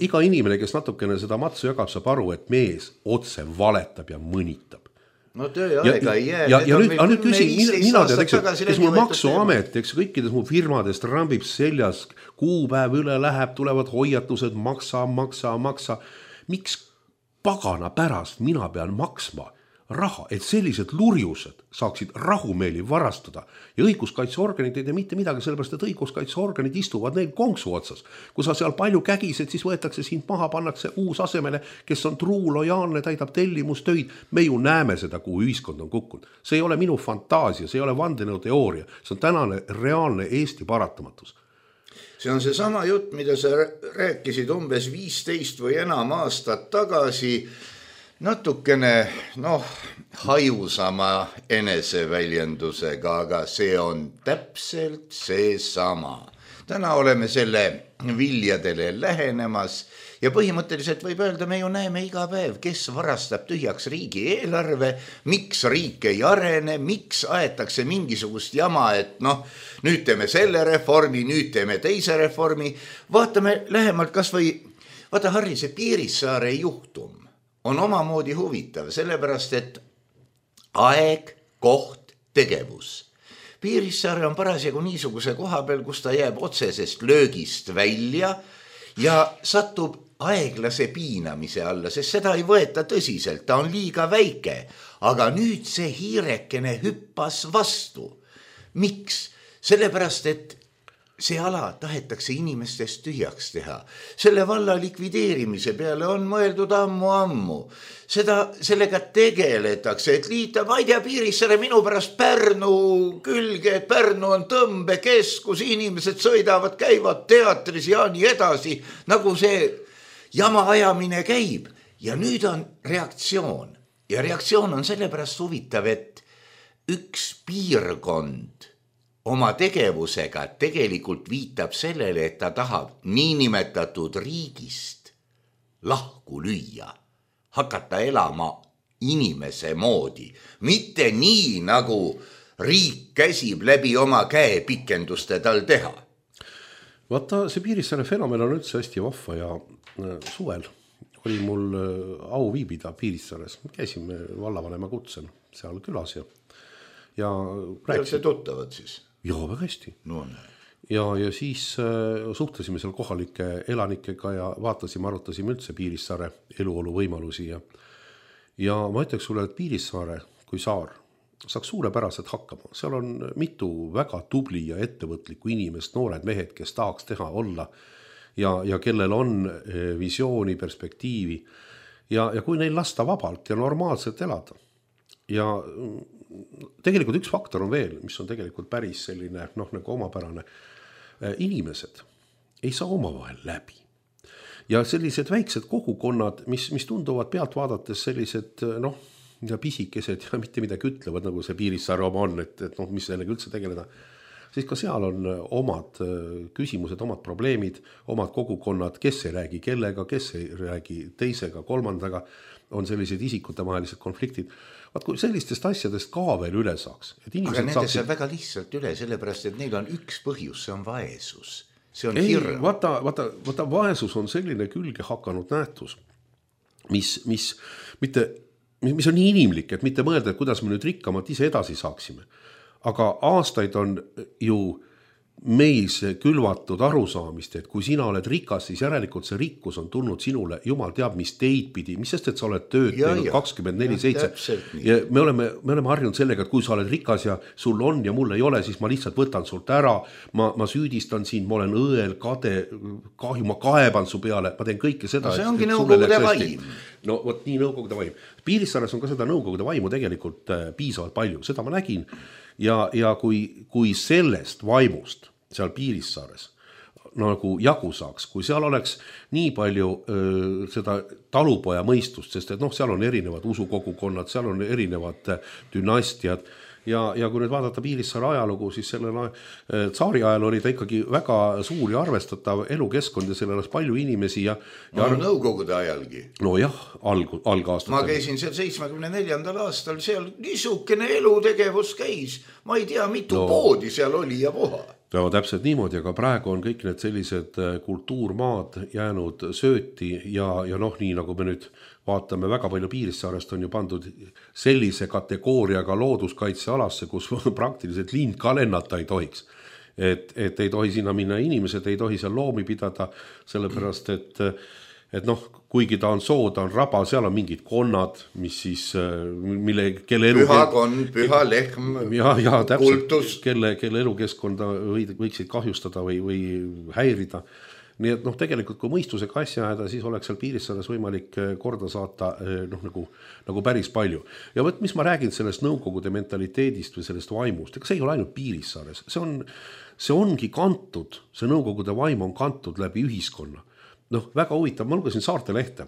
iga inimene, kes natukene seda matsu jagab, saab aru, et mees otse valetab ja mõnitab. No töö ja aega ei jää. Ja, ja nüüd, nüüd küsin, mina tead, eks, kes mul maksuamet, eks kõikides mu firmadest rambib seljas, kuupäev üle läheb, tulevad hoiatused, maksa, maksa, maksa. Miks pagana pärast mina pean maksma raha, et sellised lurjused saaksid rahumeeli varastada ja õiguskaitseorganid ei tee mitte midagi, sellepärast et õiguskaitseorganid istuvad neil konksu otsas. Kui sa seal palju kägised, siis võetakse sind maha, pannakse uus asemele, kes on truu, lojaalne, täidab tellimustöid. Me ju näeme seda, kuhu ühiskond on kukkunud. See ei ole minu fantaasia, see ei ole vandenõuteooria, see on tänane reaalne Eesti paratamatus. See on see sama jutt, mida sa rääkisid umbes viisteist või enam aastat tagasi, natukene, noh, hajusama eneseväljendusega, aga see on täpselt see sama. Täna oleme selle viljadele lähenemas ja põhimõtteliselt võib öelda, me ju näeme iga päev, kes varastab tühjaks riigi eelarve, miks riik ei arene, miks aetakse mingisugust jama, et noh, nüüd teeme selle reformi, nüüd teeme teise reformi. Vaatame lähemalt kas või, vaata Harri, see Piirissaare juhtum on omamoodi huvitav, sellepärast et aeg, koht, tegevus. Piirissaare on parasjagu niisuguse koha peal, kus ta jääb otsesest löögist välja ja satub aeglase piinamise alla, sest seda ei võeta tõsiselt, ta on liiga väike, aga nüüd see hiirekene hüppas vastu. Miks? Sellepärast, et see ala tahetakse inimestest tühjaks teha. Selle valla likvideerimise peale on mõeldud ammu-ammu. Seda, sellega tegeletakse, et liita, ma ei tea, Piirissaare minu pärast Pärnu külge, et Pärnu on tõmbekeskus, inimesed sõidavad, käivad teatris ja nii edasi, nagu see jama ajamine käib. Ja nüüd on reaktsioon. Ja reaktsioon on sellepärast huvitav, et üks piirkond oma tegevusega tegelikult viitab sellele, et ta tahab niinimetatud riigist lahku lüüa, hakata elama inimese moodi, mitte nii, nagu riik käsib läbi oma käepikenduste tal teha. Vaata, see Piirissaare fenomen on üldse hästi vahva ja suvel oli mul au viibida Piirissaares. Käisime vallavanema kutsel seal külas ja, ja rääksin. See tuttavad siis? Joo, väga hästi. No, ja, ja siis äh, suhtlesime seal kohalike elanikega ja vaatasime, arutasime üldse Piirissaare eluolu võimalusi. Ja, ja ma ütleks sulle, et Piirissaare kui saar saaks suurepäraselt hakkama. Seal on mitu väga tubli ja ettevõtlikku inimest, noored mehed, kes tahaks teha olla ja, ja kellel on visiooni, perspektiivi. Ja, ja kui neil lasta vabalt ja normaalselt elada. Ja tegelikult üks faktor on veel, mis on tegelikult päris selline, noh, nagu omapärane. Inimesed ei saa omavahel läbi. Ja sellised väiksed kogukonnad, mis, mis tunduvad pealt vaadates sellised, noh, ja pisikesed ja mitte midagi ütlevad, nagu see Piirissaare oma on, et, et noh, mis sellega üldse tegeleda, siis ka seal on omad küsimused, omad probleemid, omad kogukonnad, kes ei räägi kellega, kes ei räägi teisega, kolmandaga, on sellised isikute vahelised konfliktid. Vaat kui sellistest asjadest ka veel üle saaks. Et aga nende saaksid... saab väga lihtsalt üle, sellepärast, et neil on üks põhjus, see on vaesus. See on ei, hirm. Vaata, vaata, vaata, vaesus on selline külge hakanud nähtus, mis, mis, mitte, mis on nii inimlik, et mitte mõelda, et kuidas me nüüd rikkamad ise edasi saaksime. Aga aastaid on ju meis külvatud arusaamist, et kui sina oled rikas, siis järelikult see rikkus on tulnud sinule, jumal teab, mis teid pidi, mis sest, et sa oled tööd ja, teinud kakskümmend neli seitse. Ja me oleme, me oleme harjunud sellega, et kui sa oled rikas ja sul on ja mul ei ole, siis ma lihtsalt võtan sult ära, ma, ma süüdistan sind, ma olen õel, kade, kahju, ma kaeban su peale, ma teen kõike seda. No see ongi nõukogude vaim. No vot nii nõukogude vaim. Piirissaares on ka seda nõukogude vaimu tegelikult piisavalt palju, seda ma nägin. Ja, ja kui, kui sellest vaimust seal Piirissaares nagu jagu saaks, kui seal oleks nii palju öö, seda talupoja mõistust, sest et noh, seal on erinevad usukogukonnad, seal on erinevad dünastiad ja, ja kui nüüd vaadata Piirissaare ajalugu, siis sellel tsaari ajal oli ta ikkagi väga suur ja arvestatav elukeskkond ja sellel oleks palju inimesi ja, ja no, nõukogude ajalgi. No jah, alg, algaastat. Ma käisin seal seitsmekümne neljandal aastal, seal niisugune elutegevus käis, ma ei tea, mitu no. poodi seal oli ja puha. Ja täpselt niimoodi, aga praegu on kõik need sellised kultuurmaad jäänud sööti ja, ja noh, nii nagu me nüüd vaatame, väga palju Piirissaarest on ju pandud sellise kategooriaga looduskaitsealasse, kus praktiliselt lind ka lennata ei tohiks. Et, et ei tohi sinna minna inimesed, ei tohi seal loomi pidada, sellepärast et et noh, kuigi ta on soo, ta on raba, seal on mingid konnad, mis siis, mille, kelle elu... Püha konn, püha lehm, ja, ja, täpselt, kultus. Kelle, kelle elukeskkonda võiksid kahjustada või, või häirida. Nii et noh, tegelikult kui mõistusega asja ajada, siis oleks seal Piirissaares võimalik korda saata noh, nagu, nagu päris palju. Ja võt, mis ma räägin sellest nõukogude mentaliteedist või sellest vaimust, ega see ei ole ainult Piirissaares, see, on, see ongi kantud, see nõukogude vaim on kantud läbi ühiskonna. Noh, väga huvitav, ma lugesin Saarte lehte.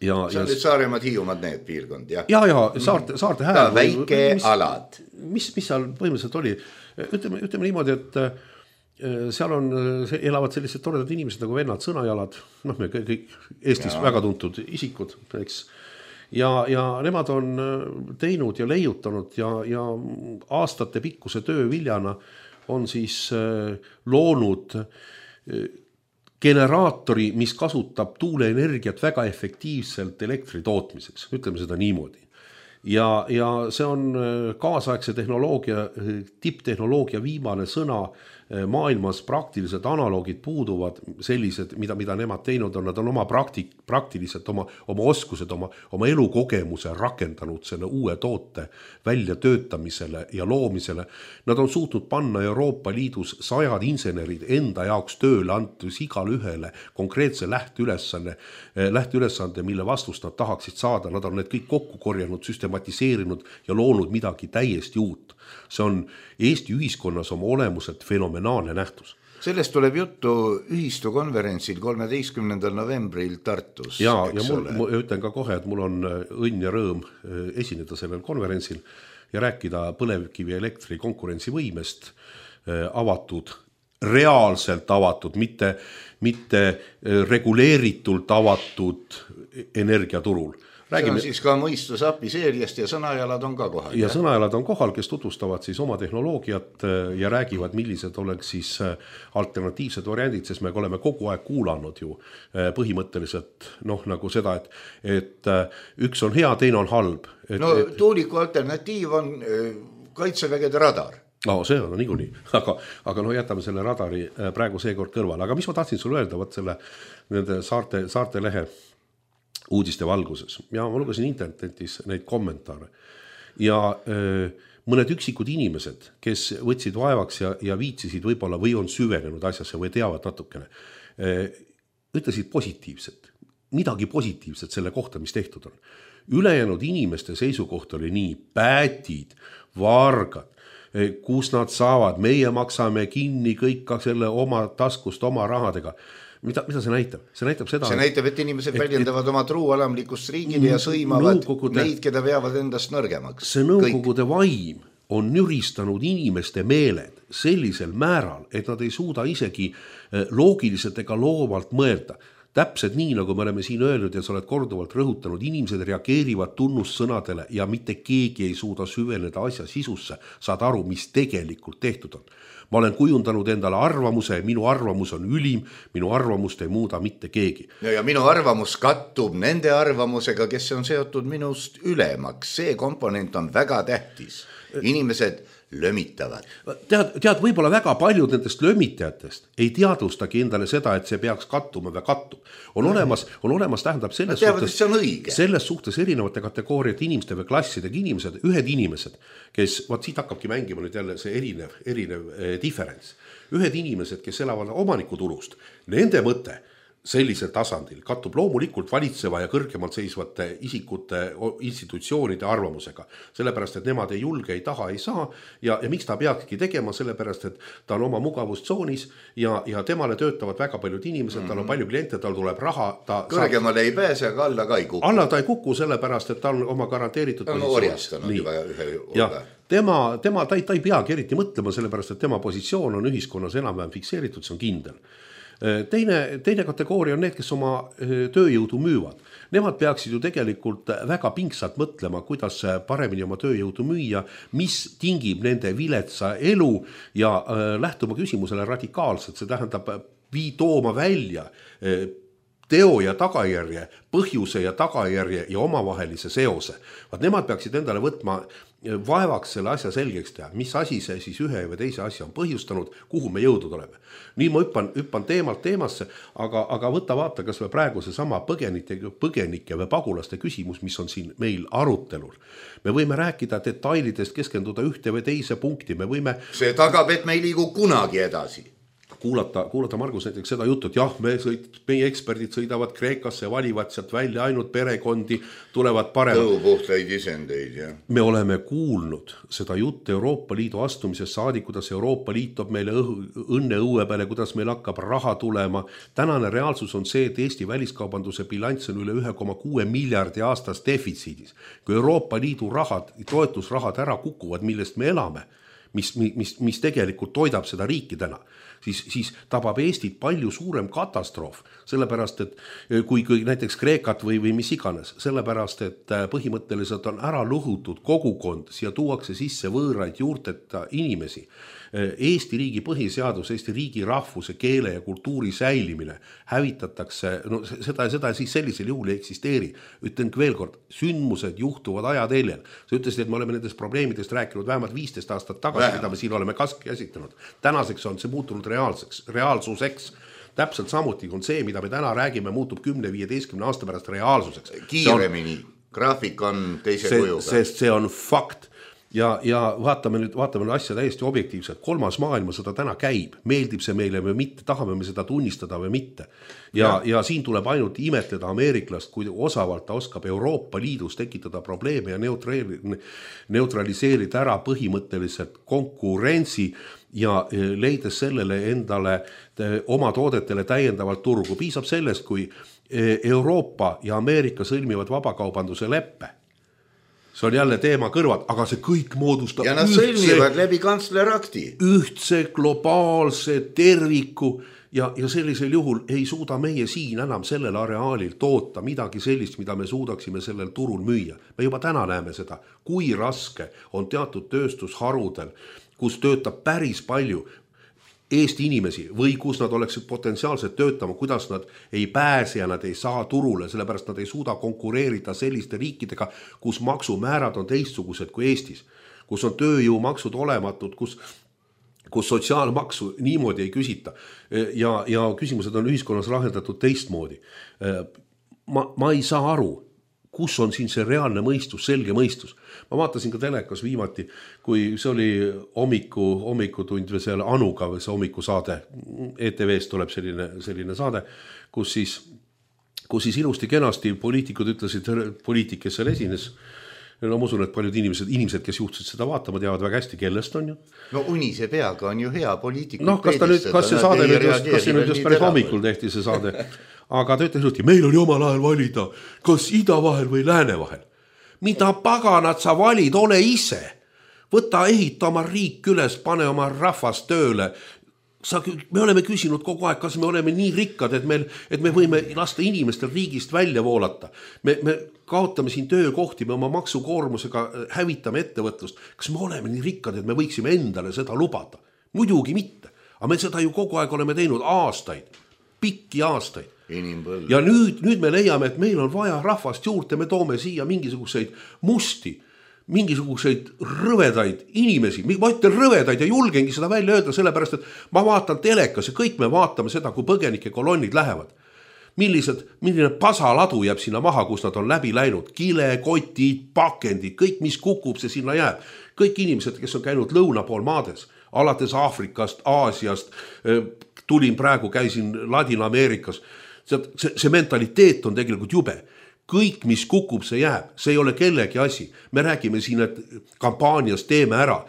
Ja, see on nüüd Saaremad, Hiiumaad need piirkond, jah? Ja, ja, Saarte, Saarte hääl. Väike mis, alad. Mis, mis seal põhimõtteliselt oli? Ütleme, ütleme niimoodi, et seal on, elavad sellised toredad inimesed nagu vennad Sõnajalad, noh me kõik Eestis ja. Väga tuntud isikud, eks. Ja, ja nemad on teinud ja leiutanud ja, ja aastate pikkuse töö viljana on siis loonud generaatori, mis kasutab tuuleenergiat väga efektiivselt elektri tootmiseks, ütleme seda niimoodi. Ja, ja see on kaasaegse tehnoloogia, tipptehnoloogia viimane sõna, maailmas praktilised analoogid puuduvad sellised, mida, mida nemad teinud on, nad on oma praktik, praktiliselt oma, oma oskused, oma, oma elukogemuse rakendanud selle uue toote välja töötamisele ja loomisele. Nad on suutnud panna Euroopa Liidus sajad insenerid enda jaoks tööle antus igal ühele konkreetse lähteülesande, lähteülesande, mille vastust nad tahaksid saada. Nad on need kõik kokku korjanud, süstematiseerinud ja loonud midagi täiesti uut. See on Eesti ühiskonnas oma olemuselt fenomenaalne nähtus. Sellest tuleb juttu ühistu konverentsil kolmeteistkümnendal novembril Tartus. Ja, ja mul, ma ütlen ka kohe, et mul on õnn ja rõõm esineda sellel konverentsil ja rääkida põlevkivi elektri konkurentsivõimest avatud, reaalselt avatud, mitte, mitte reguleeritult avatud energiaturul. Räägime... See on siis ka mõistusapi seeriast ja Sõnajalad on ka kohal. Ja Sõnajalad on kohal, kes tutvustavad siis oma tehnoloogiat ja räägivad, millised oleks siis alternatiivsed variandid, sest me oleme kogu aeg kuulanud ju põhimõtteliselt noh, nagu seda, et, et üks on hea, teine on halb. Et, no et... tuuliku alternatiiv on kaitsevägede radar. No, see on niikuinii, aga, aga no jätame selle radari praegu seekord kõrvale. Aga mis ma tahtsin sulle öelda, võt selle nende saarte, saarte lehe uudiste valguses. Ja ma lugesin internetis neid kommentaare. Ja öö, mõned üksikud inimesed, kes võtsid vaevaks ja, ja viitsisid võib-olla või on süvenenud asjasse või teavad natukene, öö, ütlesid positiivset. Midagi positiivset selle kohta, mis tehtud on. Ülejäänud inimeste seisukoht oli nii päätid, vargad, kus nad saavad, meie maksame kinni kõik ka selle oma taskust, oma rahadega. Mida, mida see näitab? See näitab seda, see näitab, et inimesed et, väljendavad et, oma truualamlikust riigile ja sõimavad nõukogude, neid, keda veavad endast nõrgemaks. See nõukogude kõik. Vaim on nüristanud inimeste meeled sellisel määral, et nad ei suuda isegi loogiliselt ega loovalt mõelda. Täpselt nii, nagu me oleme siin öelnud ja sa oled korduvalt rõhutanud, inimesed reageerivad tunnussõnadele ja mitte keegi ei suuda süveneda asja sisusse, saad aru, mis tegelikult tehtud on. Ma olen kujundanud endale arvamuse, minu arvamus on ülim, minu arvamust ei muuda mitte keegi. Ja, ja minu arvamus kattub nende arvamusega, kes on seotud minust ülemaks. See komponent on väga tähtis. Inimesed lömitavad. Tead, tead, võib-olla väga paljud nendest lömitajatest ei teadvustagi endale seda, et see peaks kattuma või kattub. On olemas, on olemas tähendab selles teavad, suhtes, selles suhtes erinevate kategooriate inimeste või klassidega inimesed, ühed inimesed, kes, vaat siit hakkabki mängima nüüd jälle see erinev, erinev eh, differents. Ühed inimesed, kes elavad omanikuturust, nende mõte sellisel tasandil kattub loomulikult valitseva ja kõrgemalt seisvate isikute, institutsioonide arvamusega. Sellepärast, et nemad ei julge, ei taha, ei saa ja, ja miks ta peakski tegema, sellepärast, et ta on oma mugavustsoonis ja, ja temale töötavad väga paljud inimesed, mm-hmm. tal on palju kliente, tal tuleb raha. Ta kõrgemale saab... ei pääse, aga alla ka ei kuku. Alla ta ei kuku, sellepärast, et ta on oma garanteeritud ta on orjastanud juba ühe hulga. Tema, tema ta, ei, ta ei peagi eriti mõtlema, sellepärast, et tema positsioon on ühiskonnas enam-vähem fikseeritud, see on kindel. Teine, teine kategooria on need, kes oma tööjõudu müüvad. Nemad peaksid ju tegelikult väga pingsalt mõtlema, kuidas paremini oma tööjõudu müüa, mis tingib nende viletsa elu ja lähtuma küsimusele radikaalselt, see tähendab vii tooma välja teo ja tagajärje, põhjuse ja tagajärje ja omavahelise seose. Vaat nemad peaksid endale võtma vaevaks selle asja selgeks teha, mis asi see siis ühe või teise asja on põhjustanud, kuhu me jõudnud oleme. Nii ma hüppan, hüppan teemalt teemasse, aga, aga võta vaata, kas me praegu see sama põgenike, põgenike või pagulaste küsimus, mis on siin meil arutelul. Me võime rääkida detailidest, keskenduda ühte või teise punkti, me võime... See tagab, et me ei liigu kunagi edasi. Kuulata, kuulata Margus näiteks seda juttu, et jah, me sõid, meie eksperdid sõidavad Kreekasse, valivad sealt välja ainult perekondi, tulevad paremad. Tõupuhtaid isendeid, jah. Me oleme kuulnud seda juttu Euroopa Liidu astumisest saadi, kuidas Euroopa Liit toob meile õnne õue peale, kuidas meil hakkab raha tulema. Tänane reaalsus on see, et Eesti väliskaubanduse bilanss on üle ühe koma kuue miljardi aastas defitsiidis. Kui Euroopa Liidu rahad, toetusrahad ära kukuvad, millest me elame, mis, mis, mis tegelikult toidab seda riiki täna, Siis, siis tabab Eestit palju suurem katastroof, sellepärast, et kui, kui näiteks Kreekat või, või mis iganes, sellepärast, et põhimõtteliselt on ära lõhutud kogukond, siia tuuakse sisse võõraid juurteta inimesi. Eesti riigi põhiseadus, Eesti riigi rahvuse, keele ja kultuuri säilimine hävitatakse, no seda, seda siis sellisel juhul ei eksisteeri. Ütlen veel kord, sündmused juhtuvad ajateljel. Sa ütlesid, et me oleme nendest probleemidest rääkinud vähemalt viisteist aastat tagasi, mida me siin oleme kask käsitlenud. Tänaseks on see muutunud reaalseks, reaalsuseks. Täpselt samuti on see, mida me täna räägime, muutub kümne viieteistkümne aasta pärast reaalsuseks. Kiiremini, graafik on teise see, kujuga. Sest see on fakt. Ja, ja vaatame nüüd, vaatame nüüd asja täiesti objektiivselt. Kolmas maailmasõda täna käib. Meeldib see meile või mitte, tahame me seda tunnistada või mitte. Ja, ja. ja siin tuleb ainult imetleda ameeriklast, kui osavalt ta oskab Euroopa Liidus tekitada probleeme ja neutraliseerida ära põhimõtteliselt konkurentsi ja leides sellele endale oma toodetele täiendavalt turgu. Piisab sellest, kui Euroopa ja Ameerika sõlmivad vabakaubanduse leppe. See on jälle teema kõrvad, aga see kõik moodustab ja nad ühtse, sõlmivad läbi kantslerakti. Ühtse globaalse terviku ja, ja sellisel juhul ei suuda meie siin enam sellel areaalil toota midagi sellist, mida me suudaksime sellel turul müüa. Me juba täna näeme seda, kui raske on teatud tööstusharudel, kus töötab päris palju Eesti inimesi või kus nad oleksid potentsiaalselt töötama, kuidas nad ei pääse ja nad ei saa turule, sellepärast nad ei suuda konkureerida selliste riikidega, kus maksumäärad on teistsugused kui Eestis, kus on tööjõumaksud olematud, kus, kus sotsiaalmaksu niimoodi ei küsita ja, ja küsimused on ühiskonnas lahendatud teistmoodi. Ma, ma ei saa aru, kus on siin see reaalne mõistus, selge mõistus. Ma vaatasin ka telekas viimati, kui see oli hommiku, hommikutund või seal Anuga või see hommikusaade, E T V-st tuleb selline, selline saade, kus siis, kus siis ilusti kenasti poliitikud ütlesid, poliitik, kes seal esines, no ma usun, et paljud inimesed, inimesed, kes juhtusid seda vaatama, teavad väga hästi, kellest on ju. No unise peaga on ju hea poliitikud. No kas ta nüüd, kas see saade nüüd just, kas see nüüd just päris hommikul tehti see saade, aga ta ütles, et meil on ju omal ajal valida, kas ida vahel või lääne vahel. Mida paganat sa valid, ole ise. Võta ehita oma riik üles, pane oma rahvas tööle. Sa, me oleme küsinud kogu aeg, kas me oleme nii rikkad, et, meil, et me võime lasta inimestel riigist välja voolata. Me, me kaotame siin töökohti, me oma maksukoormusega hävitame ettevõtlust. Kas me oleme nii rikkad, et me võiksime endale seda lubada? Muidugi mitte. Aga me seda ju kogu aeg oleme teinud aastaid, pikki aastaid. Inimpõld. Ja nüüd, nüüd me leiame, et meil on vaja rahvast juurde, me toome siia mingisuguseid musti, mingisuguseid rõvedaid inimesi, ma ütlen rõvedaid ja julgengi seda välja öelda, sellepärast, et ma vaatan telekas ja kõik me vaatame seda, kui põgenike kolonnid lähevad. Millised, milline pasaladu jääb sinna maha, kus nad on läbi läinud, kile, kotid, pakendid, kõik mis kukub, see sinna jääb. Kõik inimesed, kes on käinud lõuna pool maades, alates Aafrikast, Aasiast, tulin praegu, käisin Ladina-Ameerikas, see, see, see mentaliteet on tegelikult jube. Kõik, mis kukub, see jääb. See ei ole kellegi asi. Me räägime siin, et kampaanias teeme ära.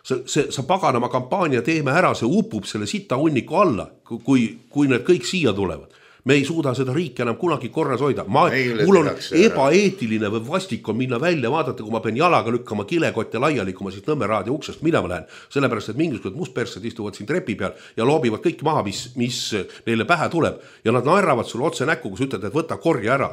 See, see, sa paganama kampaania teeme ära, see upub selle sita hunniku alla, kui, kui need kõik siia tulevad. Me ei suuda seda riiki enam kunagi korras hoida. Ma, mul on ebaeetiline või vastik on minna välja, vaadata, kui ma pean jalaga lükkama kilekott ja laiali, kui ma siit Nõmme raadio uksest minema lähen. Sellepärast, et mingisugused mustpersed istuvad siin trepi peal ja loobivad kõik maha, mis, mis neile pähe tuleb. Ja nad naeravad sulle otse näkku, kus ütled, et võta korja ära.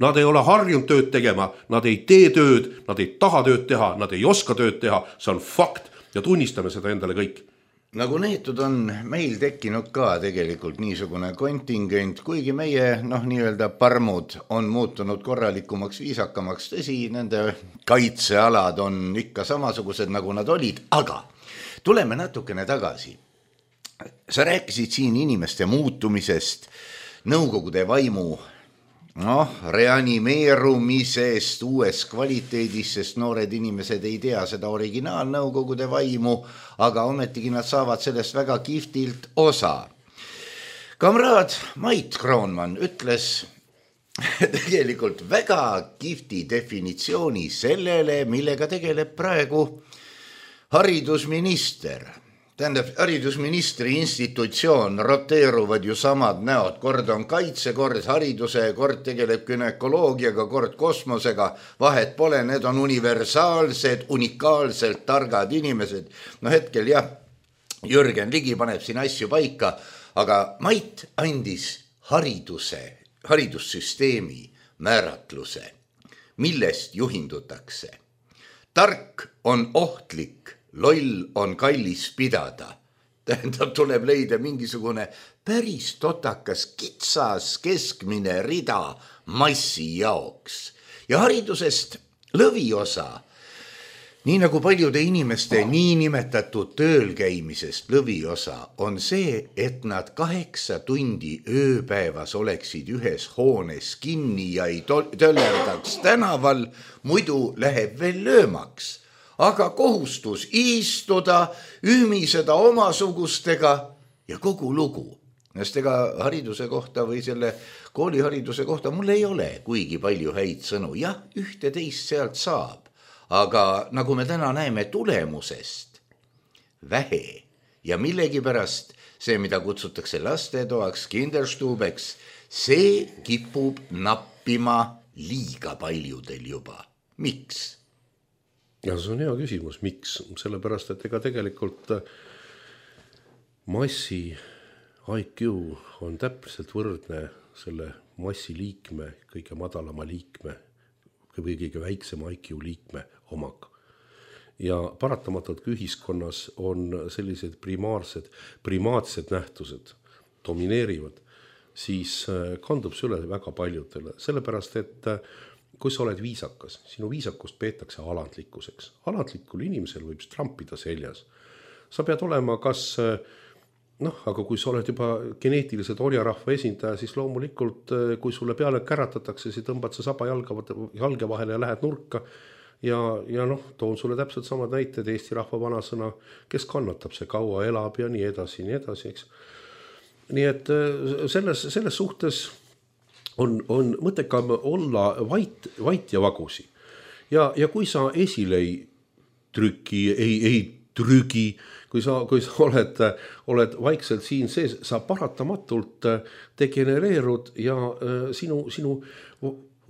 Nad ei ole harjunud tööd tegema, nad ei tee tööd, nad ei taha tööd teha, nad ei oska tööd teha, see on fakt ja tunnistame seda endale kõik. nagu neetud on meil tekkinud ka tegelikult niisugune kontingent, kuigi meie noh, nii-öelda parmud on muutunud korralikumaks, viisakamaks, tõsi, nende kaitsealad on ikka samasugused, nagu nad olid, aga tuleme natukene tagasi. Sa rääkisid siin inimeste muutumisest, nõukogude vaimu noh, reanimeerumisest uues kvaliteedis, sest noored inimesed ei tea seda originaalnõukogude vaimu, aga ometigi nad saavad sellest väga kihvtilt osa. Kamraad Mait Kroonmann ütles tegelikult väga kihvti definitsiooni sellele, millega tegeleb praegu haridusminister. Tähendab, haridusministri institutsioon roteeruvad ju samad näod, kord on kaitse, kord hariduse, kord tegeleb günekoloogiaga, kord kosmosega, vahet pole, need on universaalsed, unikaalselt targad inimesed. No hetkel jah, Jürgen Ligi paneb siin asju paika, aga Mait andis hariduse, haridussüsteemi määratluse, millest juhindutakse. Tark on ohtlik, loll on kallis pidada. Tähendab, tuleb leida mingisugune päris totakas kitsas keskmine rida massi jaoks. Ja haridusest lõviosa, nii nagu paljude inimeste niinimetatud tööl käimisest lõviosa, on see, et nad kaheksa tundi ööpäevas oleksid ühes hoones kinni ja ei töllerdaks tänaval, muidu läheb veel löömaks. Aga kohustus istuda, ümiseda omasugustega ja kogu lugu. Sest ega hariduse kohta või selle koolihariduse kohta mul ei ole kuigi palju häid sõnu. Jah, ühte teist sealt saab, aga nagu me täna näeme tulemusest, vähe ja millegipärast see, mida kutsutakse lastetoaks, kinderstubeks, see kipub nappima liiga paljudel juba. Miks? Ja see on hea küsimus, miks? Sellepärast, et ega tegelikult massi I Q on täpselt võrdne selle massi liikme, kõige madalama liikme või kõige väiksema I Q liikme omaga. Ja paratamatult kui ühiskonnas on sellised primaarsed, primaatsed nähtused domineerivad, siis kandub see üle väga paljudele. Sellepärast, et kui sa oled viisakas, sinu viisakust peetakse alandlikkuseks. Alandlikul inimesel võib trampida seljas. Sa pead olema kas, noh, aga kui sa oled juba geneetiliselt orjarahva esindaja, siis loomulikult, kui sulle peale käratatakse, siis tõmbad sa saba jalge vahele ja lähed nurka. Ja, ja noh, toon sulle täpselt samad näited, Eesti rahva vanasõna, kes kannatab, see kaua elab ja nii edasi, nii edasi, eks. Nii et selles, selles suhtes on, on mõttekam olla vait, vait ja vagusi. Ja, ja kui sa esile ei trüki, ei, ei trügi, kui sa, kui sa oled, oled vaikselt siin sees, sa paratamatult degenereerud ja sinu, sinu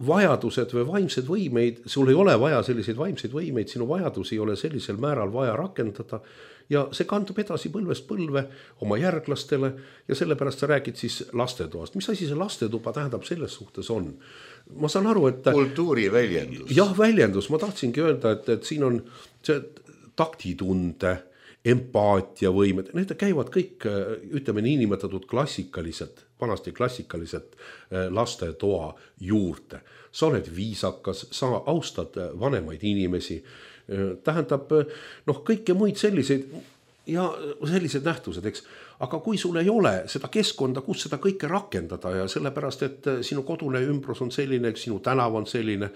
vajadused või vaimsed võimeid, sul ei ole vaja selliseid vaimseid võimeid, sinu vajadusi ei ole sellisel määral vaja rakendada ja see kandub edasi põlvest põlve oma järglastele ja sellepärast sa räägid siis lastetoast. Mis asi see lastetuba tähendab selles suhtes on? Ma saan aru, et kultuuri väljendus. Jah, väljendus. Ma tahtsingi öelda, et, et siin on see taktitunde, empaatia võimed, need käivad kõik, ütleme nii nimetatud klassikalised, vanasti klassikalised lastetoa juurde. Sa oled viisakas, sa austad vanemaid inimesi, tähendab noh, kõike muid selliseid ja sellised nähtused, eks. Aga kui sul ei ole seda keskkonda, kus seda kõike rakendada ja sellepärast, et sinu kodune ümbrus on selline, sinu tänav on selline,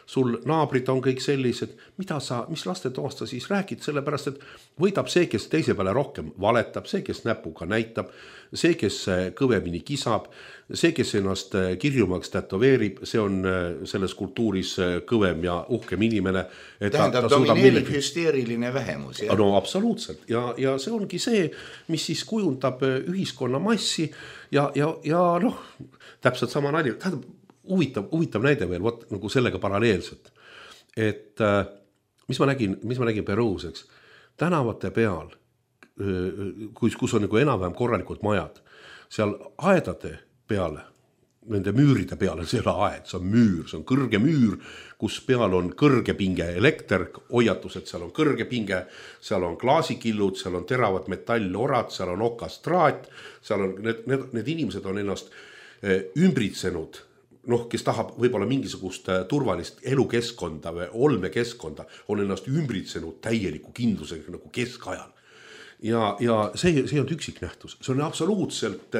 sul naabrid on kõik sellised, mida sa, mis lastetoast sa siis räägid, sellepärast, et võidab see, kes teise peale rohkem valetab, see, kes näpuga näitab, see, kes kõvemini kisab, see, kes ennast kirjumaks tätoveerib, see on selles kultuuris kõvem ja uhkem inimene. Tähendab, domineerib hüsteeriline vähemus. Ja? No absoluutselt. Ja, ja see ongi see, mis siis kujundab ühiskonna massi ja, ja, ja noh, täpselt sama nali. Tähendab, huvitav, huvitav näide veel, võt, nagu sellega paralleelselt. Et mis ma nägin, mis ma nägin Peruus, eks, tänavate peal, kus, kus on nagu enam-vähem korralikud majad, seal aedade peale, nende müüride peal on selle aed, see on müür, see on kõrge müür, kus peal on kõrge pinge elekter, hoiatus, et seal on kõrge pinge, seal on klaasikillud, seal on teravad metallorad, seal on okastraat, seal on, need, need, need inimesed on ennast ümbritsenud, noh, kes tahab võib-olla mingisugust turvalist elukeskkonda või olmekeskkonda, on ennast ümbritsenud täieliku kindlusega nagu keskajal. Ja, ja see, see on üksik nähtus, see on absoluutselt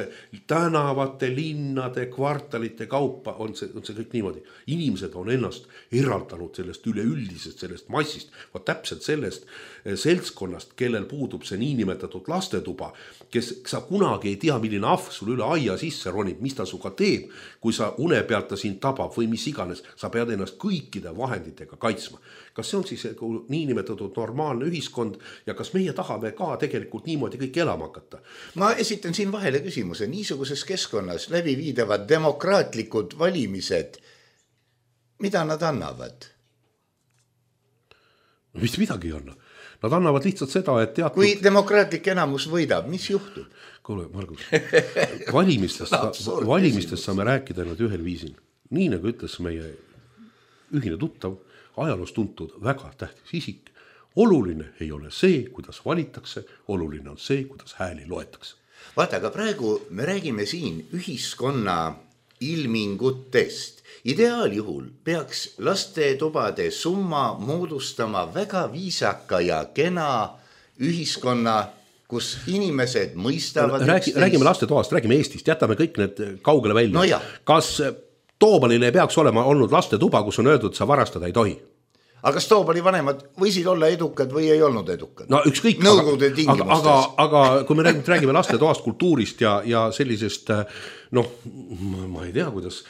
tänavate, linnade, kvartalite kaupa on see, on see kõik niimoodi. Inimesed on ennast eraldanud sellest üleüldisest, sellest massist, va täpselt sellest seltskonnast, kellel puudub see niinimetatud lastetuba, kes sa kunagi ei tea, milline ahv sul üle aia sisse ronib, mis ta suga teeb, kui sa une pealt ta sind tabab või mis iganes, sa pead ennast kõikide vahenditega kaitsma. Kas see on siis niinimetatud normaalne ühiskond ja kas meie tahame ka tegelikult niimoodi kõik elama hakata? Ma esitan siin vahele küsimuse. Niisuguses keskkonnas läbi viidavad demokraatlikud valimised, mida nad annavad? Mis midagi ei anna. Nad annavad lihtsalt seda, et teatud... Kui demokraatlik enamus võidab, mis juhtub? Kuule, Margus, valimistest, valimistest saame rääkida nüüd ühel viisil. Nii nagu ütles meie ühine tuttav, ajaloos tuntud väga tähtis isik. Oluline ei ole see, kuidas valitakse, oluline on see, kuidas hääli loetakse. Vaata, aga praegu me räägime siin ühiskonna ilmingutest. Ideaaljuhul peaks lastetubade summa moodustama väga viisaka ja kena ühiskonna, kus inimesed mõistavad... Räägi, räägime lastetoast, räägime Eestist, jätame kõik need kaugele välja. No ja. Kas Toobalil ei peaks olema olnud lastetuba, kus on öeldud, et sa varastada ei tohi? Aga kas Toobali vanemad võisid olla edukad või ei olnud edukad? No ükskõik, Nõukogude aga, aga, aga kui me räägime, räägime lastetoast, kultuurist ja, ja sellisest, noh, ma, ma ei tea, kuidas,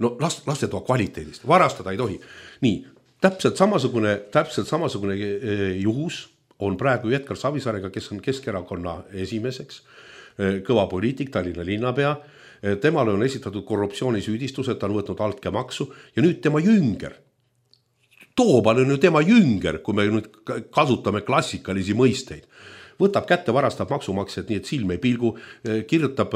no last, lastetoa kvaliteedist, varastada ei tohi. Nii, täpselt samasugune, täpselt samasugune juhus on praegu Edgar Savisaarega, kes on Keskerakonna esimeseks, kõva poliitik, Tallinna linnapea. Temale on esitatud korruptsioonisüüdistus, et ta on võtnud altkäemaksu ja nüüd tema jünger. Toobal on ju tema jünger, kui me nüüd kasutame klassikalisi mõisteid. Võtab kätte, varastab maksumaksjad nii, et silm ei pilgu, kirjutab,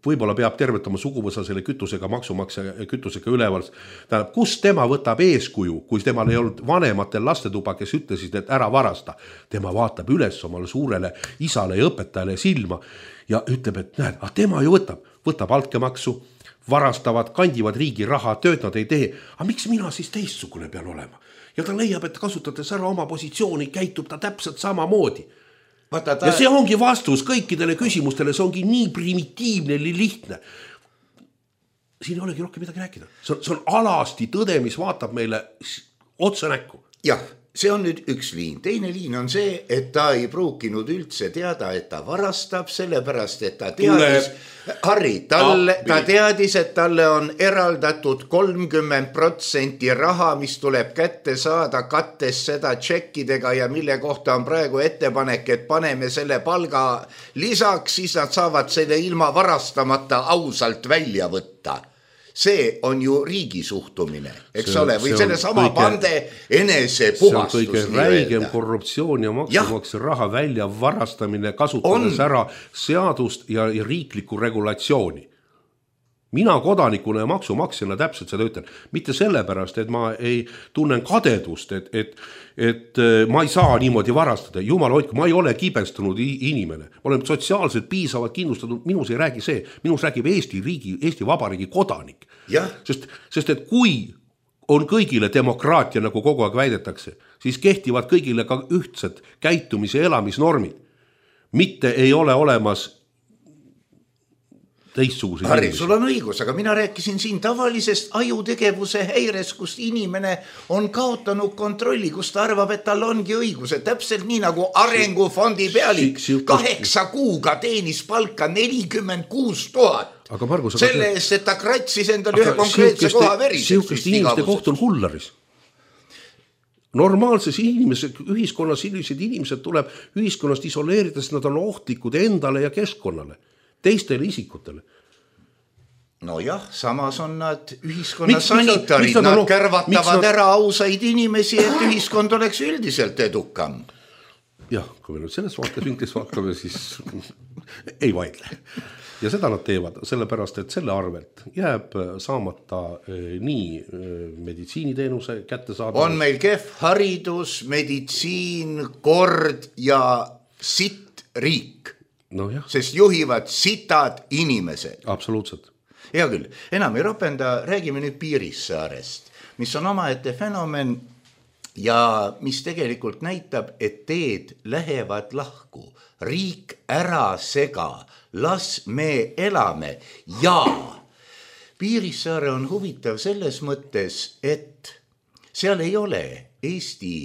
võib-olla peab tervet oma suguvõsa selle kütusega, maksumaksja kütusega üleval. Tähendab, kus tema võtab eeskuju, kui temal ei olnud vanematel lastetuba, kes ütlesid, et ära varasta. Tema vaatab üles omale suurele isale ja õpetajale silma ja ütleb, et näed, ah, tema ju võtab, võtab altkäemaksu, varastavad, kandivad riigi raha, tööd nad ei tee. Aga miks mina siis teistsugune pean olema? Ja ta leiab, et kasutades ära oma positsiooni, käitub ta täpselt sama moodi. Ta... Ja see ongi vastus kõikidele küsimustele, see ongi nii primitiivne, nii lihtne. Siin ei olegi rohkem midagi rääkida. See on, see on alasti tõde, mis vaatab meile otsa näkku. Jah, see on nüüd üks liin. Teine liin on see, et ta ei pruukinud üldse teada, et ta varastab, sellepärast, et ta teadis, Harri, talle, ta teadis, et talle on eraldatud kolmkümmend protsenti raha, mis tuleb kätte saada, kattes seda tšekkidega ja mille kohta on praegu ettepanek, et paneme selle palga lisaks, siis nad saavad selle ilma varastamata ausalt välja võtta. See on ju riigi suhtumine, eks see, ole, või selle sama kõige, pande enese puhastus. See on kõige räigem korruptsioon ja maksumaksja raha välja varastamine, kasutades on. Ära seadust ja, ja riiklikku regulatsiooni. Mina kodanikuna ja maksumaksjana täpselt seda ütlen. Mitte sellepärast, et ma ei tunnen kadedust, et, et, et ma ei saa niimoodi varastada. Jumal hoidku, ma ei ole kibestunud inimene. Ma olen sotsiaalselt piisavalt kindlustatud. Minus ei räägi see. Minus räägib Eesti riigi, Eesti Vabariigi kodanik. Ja. Sest, sest et kui on kõigile demokraatia, nagu kogu aeg väidetakse, siis kehtivad kõigile ka ühtsed käitumise elamisnormid. Mitte ei ole olemas teistsuguse Harri, sul on õigus, aga mina rääkisin siin tavalisest ajutegevuse häires, kus inimene on kaotanud kontrolli, kus ta arvab, et tal ongi õiguse. Täpselt nii nagu arengufondi pealik kaheksa kuuga teenis palka nelikümmend kuus tuhat. Aga Margus, aga selle eest, et ta kratsis endale ühe konkreetse koha veriseks. Siukest inimeste koht on hullaris. Normaalses inimese, ühiskonnas sellised inimesed tuleb ühiskonnast isoleerides, nad on ohtlikud endale ja keskkonnale. Teistele isikutele. No jah, samas on nad ühiskonna sanitarid, nad, nad kärvatavad nad... ära ausaid inimesi, et ühiskond oleks üldiselt edukam. Jah, kui me nüüd selles vaates vinklis vaatame, siis ei vaidle. ja seda nad teevad, sellepärast, et selle arvelt jääb saamata nii meditsiiniteenuse kättesaadavus. On meil kehv haridus, meditsiin, kord ja sitt riik, no jah. Sest juhivad sitad inimesed. Absoluutselt. Hea küll, enam ei ropenda, räägime nüüd Piirissaarest, mis on omaette fenomen ja mis tegelikult näitab, et teed lähevad lahku. Riik ära sega, las me elame ja Piirissaare on huvitav selles mõttes, et seal ei ole Eesti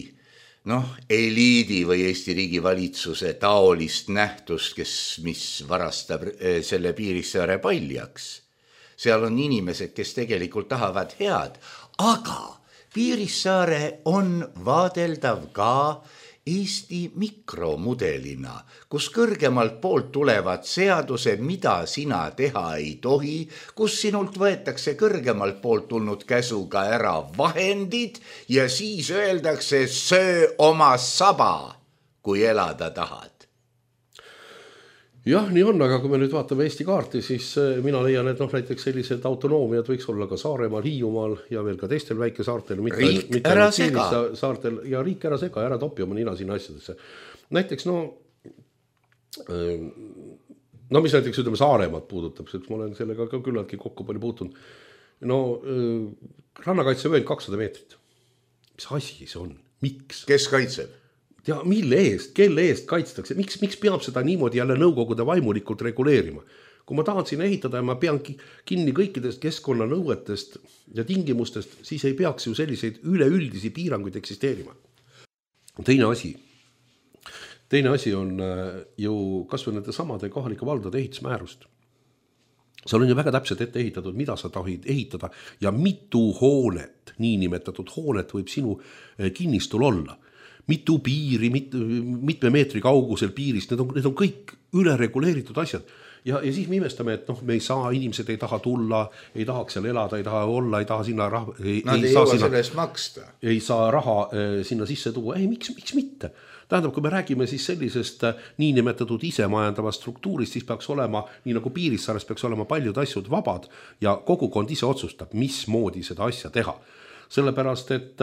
noh, eliidi või Eesti riigi valitsuse taolist nähtust, kes, mis varastab selle Piirissaare paljaks. Seal on inimesed, kes tegelikult tahavad head, aga Piirissaare on vaadeldav ka Eesti mikromudelina, kus kõrgemalt poolt tulevad seadused, mida sina teha ei tohi, kus sinult võetakse kõrgemalt poolt tulnud käsuga ära vahendid ja siis öeldakse söö oma saba, kui elada tahad. Jah, nii on, aga kui me nüüd vaatame Eesti kaarti, siis mina leian, et noh, näiteks sellised autonoomiad võiks olla ka Saaremaal, Hiiumaal ja veel ka teistel väikesaartel. Riik mitte ära sega. Saartel, ja riik ära sega, ära topi oma nina sinna asjadesse. Näiteks, no, no mis näiteks ütleme Saaremaad puudutab, sest ma olen sellega ka küllaltki kokku palju puutunud. No, rannakaitsevöönd kakssada meetrit. Mis asi see on? Miks? Kes kaitseb? Ja mille eest, kelle eest kaitstakse, miks, miks peab seda niimoodi jälle nõukogude vaimulikult reguleerima? Kui ma tahan sinna ehitada ja ma pean kinni kõikidest keskkonnanõuetest ja tingimustest, siis ei peaks ju selliseid üleüldisi piiranguid eksisteerima. Teine asi, teine asi on ju kas või nende samade kohalike valdade ehitusmäärust. Seal on ju väga täpselt ette ehitatud, mida sa tahid ehitada ja mitu hoonet, niinimetatud hoonet võib sinu kinnistul olla. Mitu piiri, mit, mitme meetri kaugusel piirist, need on, need on kõik üle reguleeritud asjad. Ja, ja siis me imestame, et noh, me ei saa, inimesed ei taha tulla, ei tahaks seal elada, ei taha olla, ei taha sinna raha, ei, Nad ei, ei jõua sellest maksta. Ei saa raha eh, sinna sisse tuua. Ei, miks, miks mitte? Tähendab, kui me räägime siis sellisest niinimetatud isemajandavast struktuurist, siis peaks olema, nii nagu Piirissaares peaks olema paljud asjad vabad ja kogukond ise otsustab, mismoodi seda asja teha. Sellepärast, et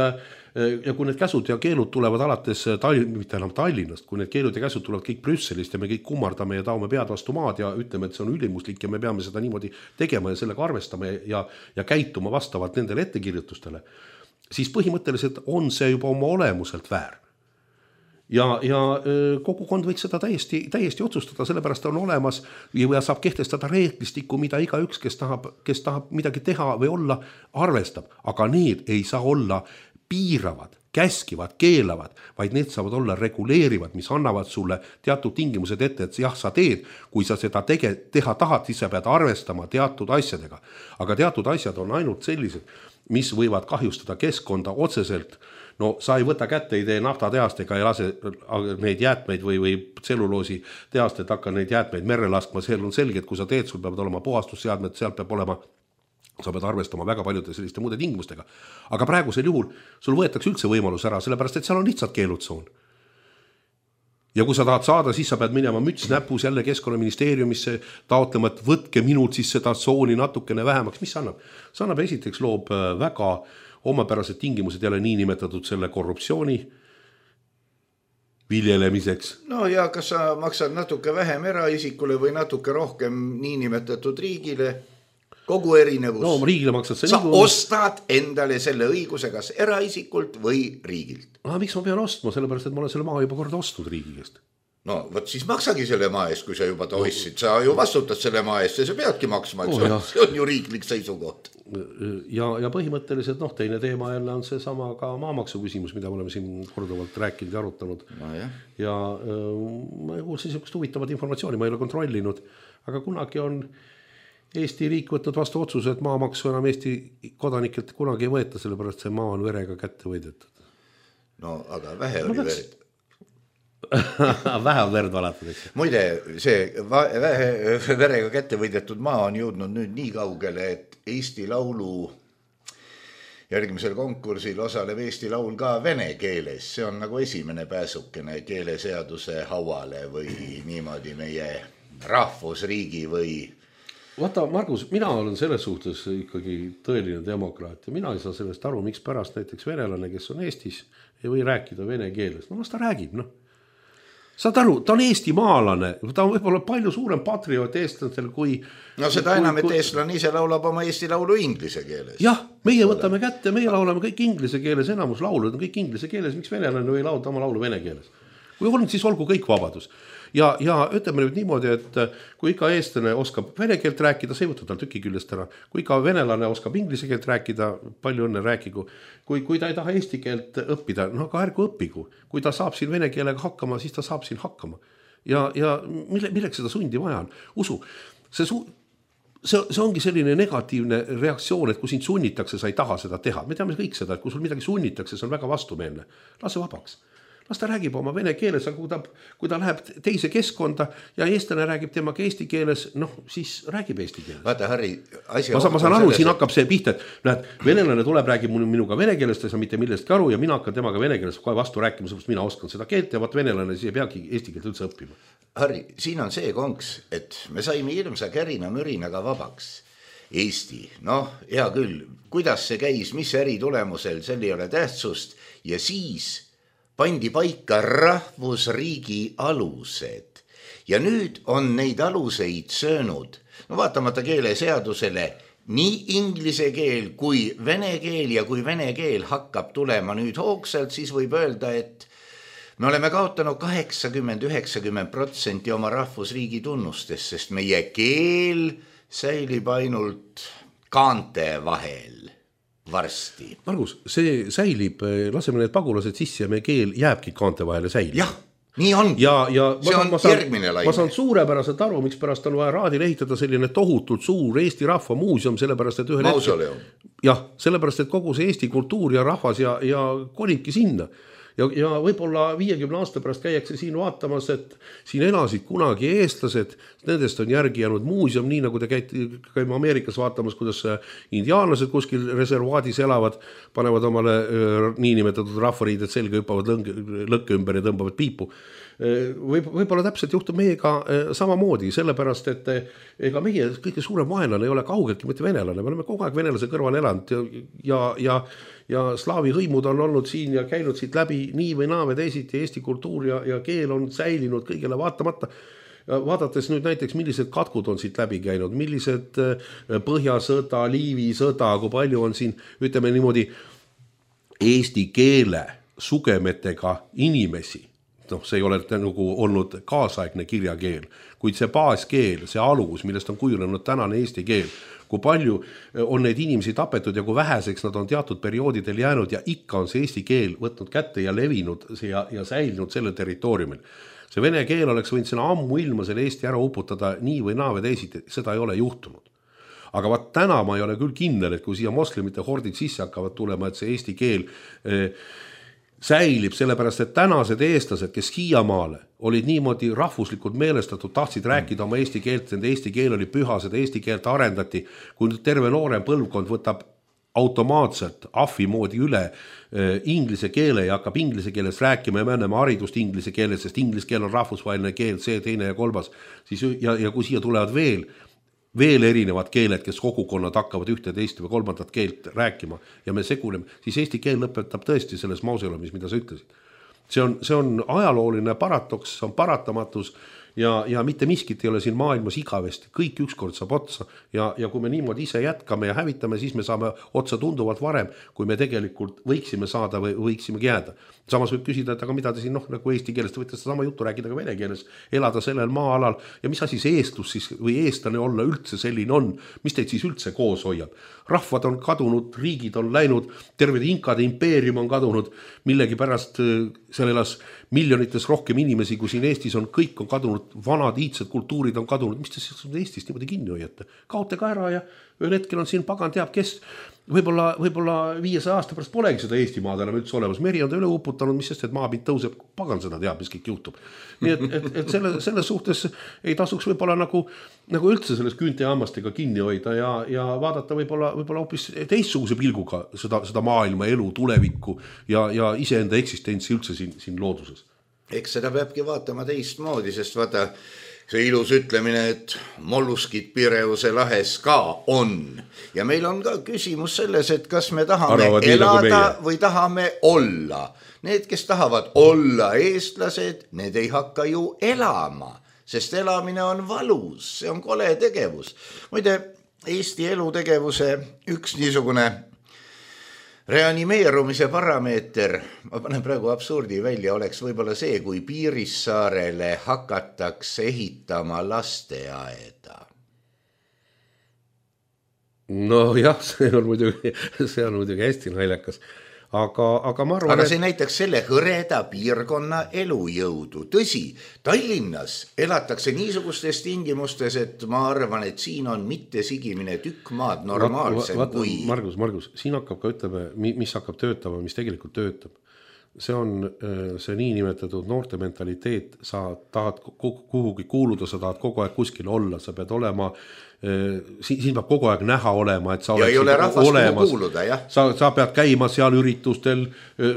ja kui need käsud ja keelud tulevad alates Tallinn, mitte enam Tallinnast, kui need keelud ja käsud tulevad kõik Brüsselist ja me kõik kummardame ja taome pead vastu maad ja ütleme, et see on ülimuslik ja me peame seda niimoodi tegema ja sellega arvestama ja, ja käituma vastavalt nendele ettekirjutustele, siis põhimõtteliselt on see juba oma olemuselt väär. Ja, ja kogukond võiks seda täiesti, täiesti otsustada, sellepärast on olemas ja saab kehtestada reeglistikku, mida iga üks, kes tahab, kes tahab midagi teha või olla, arvestab. Aga need ei saa olla piiravad, käskivad, keelavad, vaid need saavad olla reguleerivad, mis annavad sulle teatud tingimused ette, et jah, sa teed, kui sa seda tege, teha tahad, siis sa pead arvestama teatud asjadega. Aga teatud asjad on ainult sellised, mis võivad kahjustada keskkonda otseselt. No sa ei võta kätte, ei tee naftatehastega ja lase neid jäätmeid või, või tselluloosi tehastet hakka neid jäätmeid merre laskma. See on selge, et kui sa teed, sul peavad olema puhastusseadmed, sealt peab olema, sa pead arvestama väga paljude selliste muude tingimustega. Aga praegusel juhul sul võetakse üldse võimalus ära, sellepärast et seal on lihtsalt keelutsoon. Ja kui sa tahad saada, siis sa pead minema müts näpus jälle Keskkonnaministeeriumisse taotlema, et võtke minult siis seda tsooni natukene vähemaks. Mis see annab? See annab esiteks loob väga omapärased tingimused jälle niinimetatud selle korruptsiooni viljelemiseks. No ja kas sa maksad natuke vähem eraisikule või natuke rohkem niinimetatud riigile? Kogu erinevus. No riigile maksad sa ligu... ostad endale selle õiguse kas eraisikult või riigilt. Ah, miks ma pean ostma? Sellepärast, et ma olen selle maa juba korda ostnud riigi käest. No, võt siis maksagi selle maa eest, kui sa juba ta ostsid. Sa ju vastutad selle maa eest ja sa peadki maksma, et oh, see on ju riiklik seisukoht. Ja, ja põhimõtteliselt, noh, teine teema jälle on see sama ka maamaksu küsimus, mida me oleme siin korduvalt rääkinud ja arutanud. No, ja ja ma kuulsin niisugust huvitavat informatsiooni, ma ei ole kontrollinud, aga kunagi on Eesti riik võtnud vastu otsuse, et maamaksu enam Eesti kodanikelt kunagi ei võeta, sellepärast see maa on verega kätte võidetud. No, aga vähe oli no, verd. Vähe on verd valatud, eks. Muide, see vähe verega kätte võidetud maa on jõudnud nüüd nii kaugele, et Eesti Laulu järgmisel konkursil osaleb Eesti Laul ka vene keeles. See on nagu esimene pääsukene keeleseaduse hauale või niimoodi meie rahvusriigi või? Vaata, Margus, mina olen selles suhtes ikkagi tõeline demokraat ja mina ei saa sellest aru, miks pärast näiteks venelane, kes on Eestis, ei või rääkida vene keeles. No las ta räägib, noh. Saad aru, ta on eesti maalane, ta on võib-olla palju suurem patrioot eestlastel kui... No seda kui, enam, et kui... eestlane ise laulab oma eesti laulu inglise keeles. Jah, meie võtame kätte, meie laulame kõik inglise keeles, enamus laulud on kõik inglise keeles, miks venelane või laulda oma laulu vene keeles? Kui on, siis olgu kõik vabadus. Ja, ja ütleme nüüd niimoodi, et kui ikka eestlane oskab vene keelt rääkida, see ei võta tal tüki küljest ära. Kui ikka venelane oskab inglise keelt rääkida, palju õnne rääkigu. Kui, kui ta ei taha eesti keelt õppida, no aga ärgu õpigu. Kui ta saab siin vene keelega hakkama, siis ta saab siin hakkama. Ja, ja mille, milleks seda sundi vaja on? Usu, see, su, see, see ongi selline negatiivne reaktsioon, et kui sind sunnitakse, sa ei taha seda teha. Me teame kõik seda, et kui sul midagi sunnitakse, see on väga vastumeelne. Lase vabaks. Las ta räägib oma vene keeles, aga kui ta, kui ta läheb teise keskkonda ja eestlane räägib temaga eesti keeles, noh, siis räägib eesti keeles. Vaata, Harri, asi ma, ma saan aru, selles, siin hakkab see pihta, et näed, venelane tuleb, räägib minuga vene keelest, ta ei saa mitte millestki aru ja mina hakkan temaga vene keeles kohe vastu rääkima, sest mina oskan seda keelt ja vaat venelane siis ei peagi eesti keelt üldse õppima. Harri, siin on see konks, et me saime ilmsa kärina mürinaga vabaks. Eesti, noh, hea küll, kuidas see käis, mis äri tulemusel, sel ei ole tähtsust ja siis pandi paika rahvusriigi alused ja nüüd on neid aluseid söönud, no vaatamata keeleseadusele, nii inglise keel kui vene keel ja kui vene keel hakkab tulema nüüd hoogsalt, siis võib öelda, et me oleme kaotanud kaheksakümmend üheksakümmend protsenti oma rahvusriigi tunnustest, sest meie keel säilib ainult kaante vahel. Varsti. Margus, see säilib, laseme need pagulased sisse ja meie keel jääbki kaante vahele säilib. Jah, nii on. Ja, ja see ma, on ma saan, järgmine laine. Ma saan suurepäraselt aru, miks pärast on vaja raadil ehitada selline tohutult suur Eesti rahva muuseum, sellepärast, et ühel Mausoleum. hetkel, jah, sellepärast, et kogu see Eesti kultuur ja rahvas ja, ja kolibki sinna. Ja, ja võib-olla viiekümne aasta pärast käiakse siin vaatamas, et siin elasid kunagi eestlased, nendest on järgi jäänud muuseum, nii nagu te käite, käime Ameerikas vaatamas, kuidas indiaanlased kuskil reservaadis elavad, panevad omale niinimetatud rahvariided selga, hüppavad lõkke ümber ja tõmbavad piipu. Võib, võib-olla täpselt juhtub meiega samamoodi, sellepärast, et ega meie kõige suurem vaenlane ei ole kaugeltki mitte venelane, me oleme kogu aeg venelase kõrval elanud ja, ja, ja, ja slaavi hõimud on olnud siin ja käinud siit läbi nii või naa või teisiti, Eesti kultuur ja, ja keel on säilinud kõigele vaatamata. Vaadates nüüd näiteks, millised katkud on siit läbi käinud, millised Põhjasõda, Liivi sõda, kui palju on siin, ütleme niimoodi, eesti keele sugemetega inimesi. No, see ei ole nagu olnud kaasaegne kirjakeel, kuid see baaskeel, see alus, millest on kujunenud tänane eesti keel, kui palju on neid inimesi tapetud ja kui väheseks nad on teatud perioodidel jäänud ja ikka on see eesti keel võtnud kätte ja levinud ja, ja säilinud selle territooriumil. See vene keel oleks võinud sinna ammu ilma selle Eesti ära uputada nii või naa või teisiti, seda ei ole juhtunud. Aga vaat täna ma ei ole küll kindel, et kui siia moslemite hordid sisse hakkavad tulema, et see eesti keel eh, säilib, sellepärast, et tänased eestlased, kes Hiiamaale olid niimoodi rahvuslikult meelestatud, tahtsid rääkida oma eesti keelt, nende eesti keel oli püha, seda eesti keelt arendati, kui terve noorem põlvkond võtab automaatselt ahvi moodi üle äh, inglise keele ja hakkab inglise keeles rääkima ja me anname haridust inglise keeles, sest inglise keel on rahvusvaheline keel, see teine ja kolmas, siis, ja, ja kui siia tulevad veel veel erinevad keeled, kes kogukonnad hakkavad ühte, teist või kolmandat keelt rääkima ja me seguleme, siis eesti keel lõpetab tõesti selles mauseumis, mida sa ütlesid. See on, see on ajalooline paratoks, see on paratamatus ja, ja mitte miskit ei ole siin maailmas igavesti, kõik ükskord saab otsa ja, ja kui me niimoodi ise jätkame ja hävitame, siis me saame otsa tunduvalt varem, kui me tegelikult võiksime saada või võiksimegi jääda. Samas võib küsida, et aga mida te siin, noh, nagu eesti keelest võite sama juttu rääkida ka vene keeles, elada sellel maa-alal ja mis asi see eestlus siis või eestlane olla üldse selline on, mis teid siis üldse koos hoiab. Rahvad on kadunud, riigid on läinud, terved inkade impeerium on kadunud, millegi pärast seal elas miljonites rohkem inimesi, kui siin Eestis on, kõik on kadunud, vanad iidsed kultuurid on kadunud, mis te siis Eestist niimoodi kinni hoiate? Kaote ka ära ja ühel hetkel on siin pagan teab, kes võib-olla, võib-olla viiesaja aasta pärast polegi seda Eestimaad enam üldse olemas. Meri on ta üle uputanud, mis sest, et maapind tõuseb, pagan seda teab, mis kõik juhtub. Nii et, et, et selle, selles suhtes ei tasuks võib-olla nagu, nagu üldse selles küünte ja hammastega kinni hoida ja, ja vaadata võib-olla, võib-olla hoopis teistsuguse pilguga seda, seda maailma, elu, tulevikku ja, ja iseenda eksistentsi üldse siin, siin looduses. Eks seda peabki vaatama teistmoodi, sest vaata, see ilus ütlemine, et molluskid Pireuse lahes ka on. Ja meil on ka küsimus selles, et kas me tahame Arvavad elada või tahame olla. Need, kes tahavad olla eestlased, need ei hakka ju elama, sest elamine on valus, see on kole tegevus. Muide, Eesti elutegevuse üks niisugune reanimeerumise parameeter, ma panen praegu absurdi välja, oleks võib-olla see, kui Piirissaarele hakatakse ehitama lasteaeda. No jah, see on muidugi, see on muidugi hästi naljakas. Aga, aga ma arvan, aga see et... näiteks selle hõreda piirkonna elujõudu. Tõsi, Tallinnas elatakse niisugustes tingimustes, et ma arvan, et siin on mitte sigimine tükk maad normaalsem vaat, vaat, kui... Margus, Margus, siin hakkab ka ütleme, mis hakkab töötama, mis tegelikult töötab. See on see niinimetatud noorte mentaliteet, sa tahad kuhugi kuuluda, sa tahad kogu aeg kuskil olla, sa pead olema siin, siin peab kogu aeg näha olema, et sa ja ei ole rahvast kuhu kuuluda, jah. Sa, sa pead käima seal üritustel,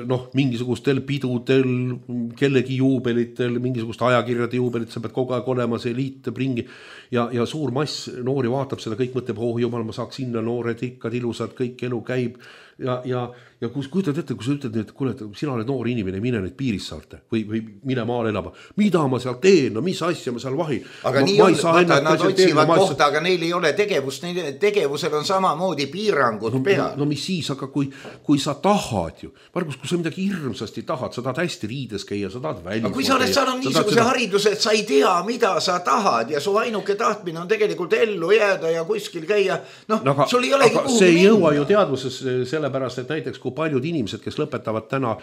noh, mingisugustel pidudel, kellegi juubelitel, mingisugust ajakirjade juubelit, sa pead kogu aeg olema, see liiteb ringi ja, ja suur mass noori vaatab seda, kõik mõtleb, oh jumal, ma saaks sinna noored, ikkad, ilusad, kõik elu käib ja, ja, ja kus kujutad ette, kui sa ütled, et kuule, sina oled noor inimene, mine nüüd Piirissaarte või, või mine maale elama, mida ma seal teen, no mis asja ma seal vahin. Aga ma, nii on, vaata, nad otsivad kohta, aga neil ei ole tegevust, neil tegevusel on samamoodi piirangud no, peal. No, no mis siis, aga kui, kui sa tahad ju, Margus, kui sa midagi hirmsasti tahad, sa tahad hästi riides käia, sa tahad välja. Aga kui sa oled saanud niisuguse seda... hariduse, et sa ei tea, mida sa tahad ja su ainuke tahtmine on tegelikult ellu jääda ja kuskil käia, noh, no, sul ei olegi kuhu see ei jõua ju teadvuses sellepärast, et näiteks kui paljud inimesed, kes lõpetavad täna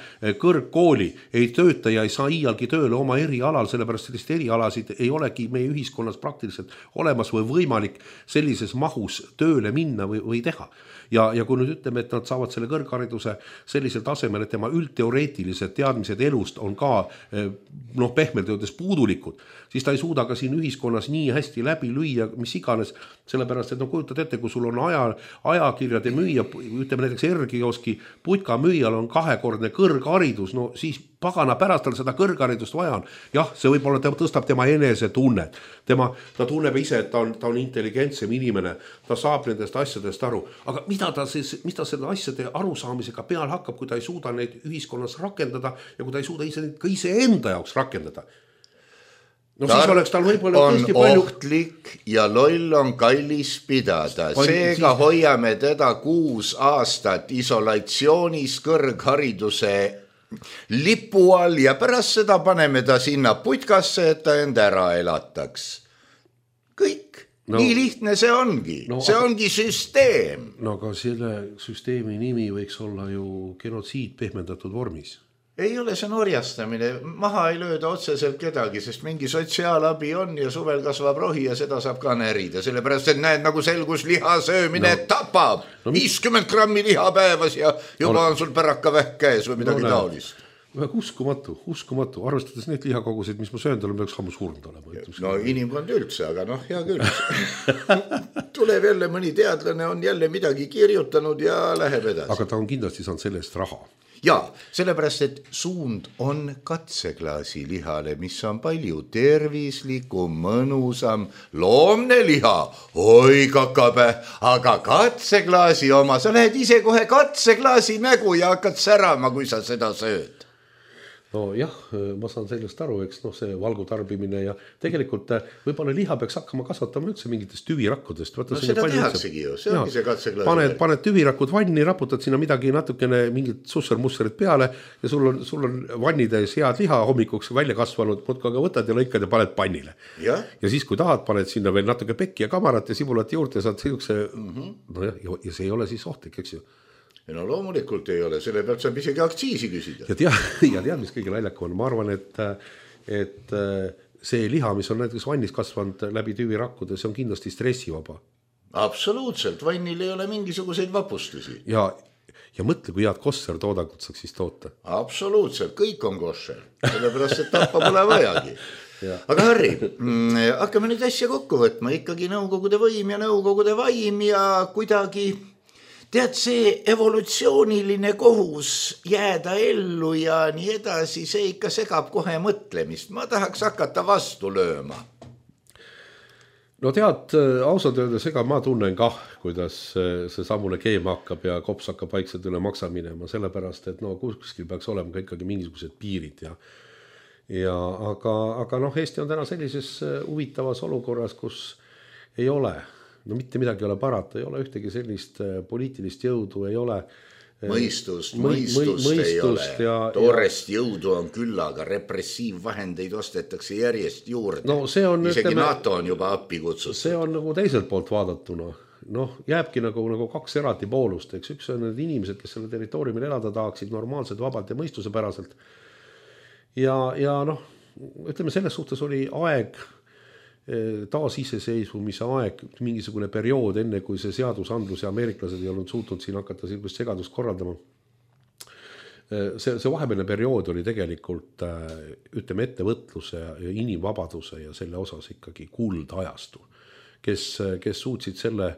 kõrgkooli, ei tööta ja ei saa iialgi tööle oma erialal, sellepärast sellist erialasid ei olegi meie ühiskonnas praktiliselt olemas või võimalik sellises mahus tööle minna või, või teha. Ja, ja kui nüüd ütleme, et nad saavad selle kõrghariduse sellisel tasemel, et tema üldteoreetilised teadmised elust on ka noh, pehmelt öeldes puudulikud, siis ta ei suuda ka siin ühiskonnas nii hästi läbi lüüa, mis iganes, sellepärast, et no kujutad ette, kui sul on aja, ajakirjade müüja, ütleme näiteks Ergioski putka müüjal on kahekordne kõrgharidus, no siis pagana pärast tal seda kõrgharidust vaja on. Jah, see võib-olla tõstab tema enese tunnet. Tema, ta tunneb ise, et ta on, ta on intelligentsem inimene, ta saab nendest asjadest aru. Aga mida ta, siis, mis ta selle asjade arusaamisega peal hakkab, kui ta ei suuda neid ühiskonnas rakendada ja kui ta ei suuda ise, ka ise enda jaoks rakendada? No Tark siis oleks tal võib-olla on palju... ohtlik ja loll on kallis pidada. Seega siis... hoiame teda kuus aastat isolatsioonis kõrghariduse lipu all ja pärast seda paneme ta sinna putkasse, et ta enda ära elataks. Kõik. No, nii lihtne see ongi. No, see ongi süsteem. No aga selle süsteemi nimi võiks olla ju genotsiid pehmendatud vormis. Ei ole see norjastamine, maha ei lööda otseselt kedagi, sest mingi sotsiaalabi on ja suvel kasvab rohi ja seda saab ka närida, sellepärast et näed, nagu selgus liha söömine no. tapab no, viiskümmend grammi liha päevas ja juba no, on sul päraka vähk käes või midagi no, taolist. Uskumatu, uskumatu, arvestades neid lihakoguseid, mis ma söön, tal on peaks hammu surnud olema. No inimkond üldse, aga noh, hea küll. Tuleb jälle mõni teadlane, on jälle midagi kirjutanud ja läheb edasi. Aga ta on kindlasti saanud sellest raha. Ja, sellepärast, et suund on katseklaasi lihale, mis on palju tervislikum, mõnusam, loomne liha, oi kakabe, aga katseklaasi oma, sa lähed ise kohe katseklaasi nägu ja hakkad särama, kui sa seda sööd. No jah, ma saan sellest aru, eks noh, see valgu tarbimine ja tegelikult võib-olla liha peaks hakkama kasvatama üldse mingitest tüvirakkudest. No seda tehaksegi ju, see ongi see katseklaasi. Paned, paned tüvirakud vanni, raputad sinna midagi natukene mingit susser-musserit peale ja sul on, sul on vannides head liha hommikuks välja kasvanud, muudka aga võtad ja lõikad ja paned pannile. Ja, ja siis kui tahad, paned sinna veel natuke pekki ja kamarat ja sibulat juurde ja saad siukse, mm-hmm. no jah, ja see ei ole siis ohtlik, eks ju. No loomulikult ei ole, selle pealt saab isegi aktsiisi küsida. Ja tead, ja tead mis kõige naljakam on, ma arvan, et, et see liha, mis on näiteks vannis kasvanud läbi tüvirakkude, see on kindlasti stressivaba. Absoluutselt, vannil ei ole mingisuguseid vapustusi. Ja, ja mõtle, kui head kosser toodangut saaks siis toota. Absoluutselt, kõik on kosser, sellepärast, et tappa pole vajagi. Ja. Aga Harri, hakkame nüüd asja kokku võtma, ikkagi nõukogude võim ja nõukogude vaim ja kuidagi... Tead, see evolutsiooniline kohus jääda ellu ja nii edasi, see ikka segab kohe mõtlemist. Ma tahaks hakata vastu lööma. no tead, ausalt öeldes, ega ma tunnen kah, kuidas see sammune keema hakkab ja kops hakkab vaikselt üle maksa minema, sellepärast, et no kuskil peaks olema ka ikkagi mingisugused piirid ja ja aga, aga noh, Eesti on täna sellises huvitavas olukorras, kus ei ole, no mitte midagi ei ole parata, ei ole ühtegi sellist poliitilist jõudu, ei ole mõistust, mõistust, mõistust ei ole, ja, toorest ja... jõudu on küll, aga repressiivvahendeid ostetakse järjest juurde. No, on, isegi ütleme, NATO on juba appi kutsutud. See on nagu teiselt poolt vaadatuna. Noh, jääbki nagu, nagu kaks eraldi poolust, eks üks on need inimesed, kes selle territooriumil elada tahaksid normaalselt, vabalt ja mõistuse päraselt. Ja, ja noh, ütleme, selles suhtes oli aeg taas iseseisvumise aeg, mingisugune periood, enne kui see seadusandlus ja ameeriklased ei olnud suutnud siin hakata sellist segadust korraldama. See, see vahepealne periood oli tegelikult, ütleme, ettevõtluse ja inimvabaduse ja selle osas ikkagi kuldajastu, kes, kes suutsid selle,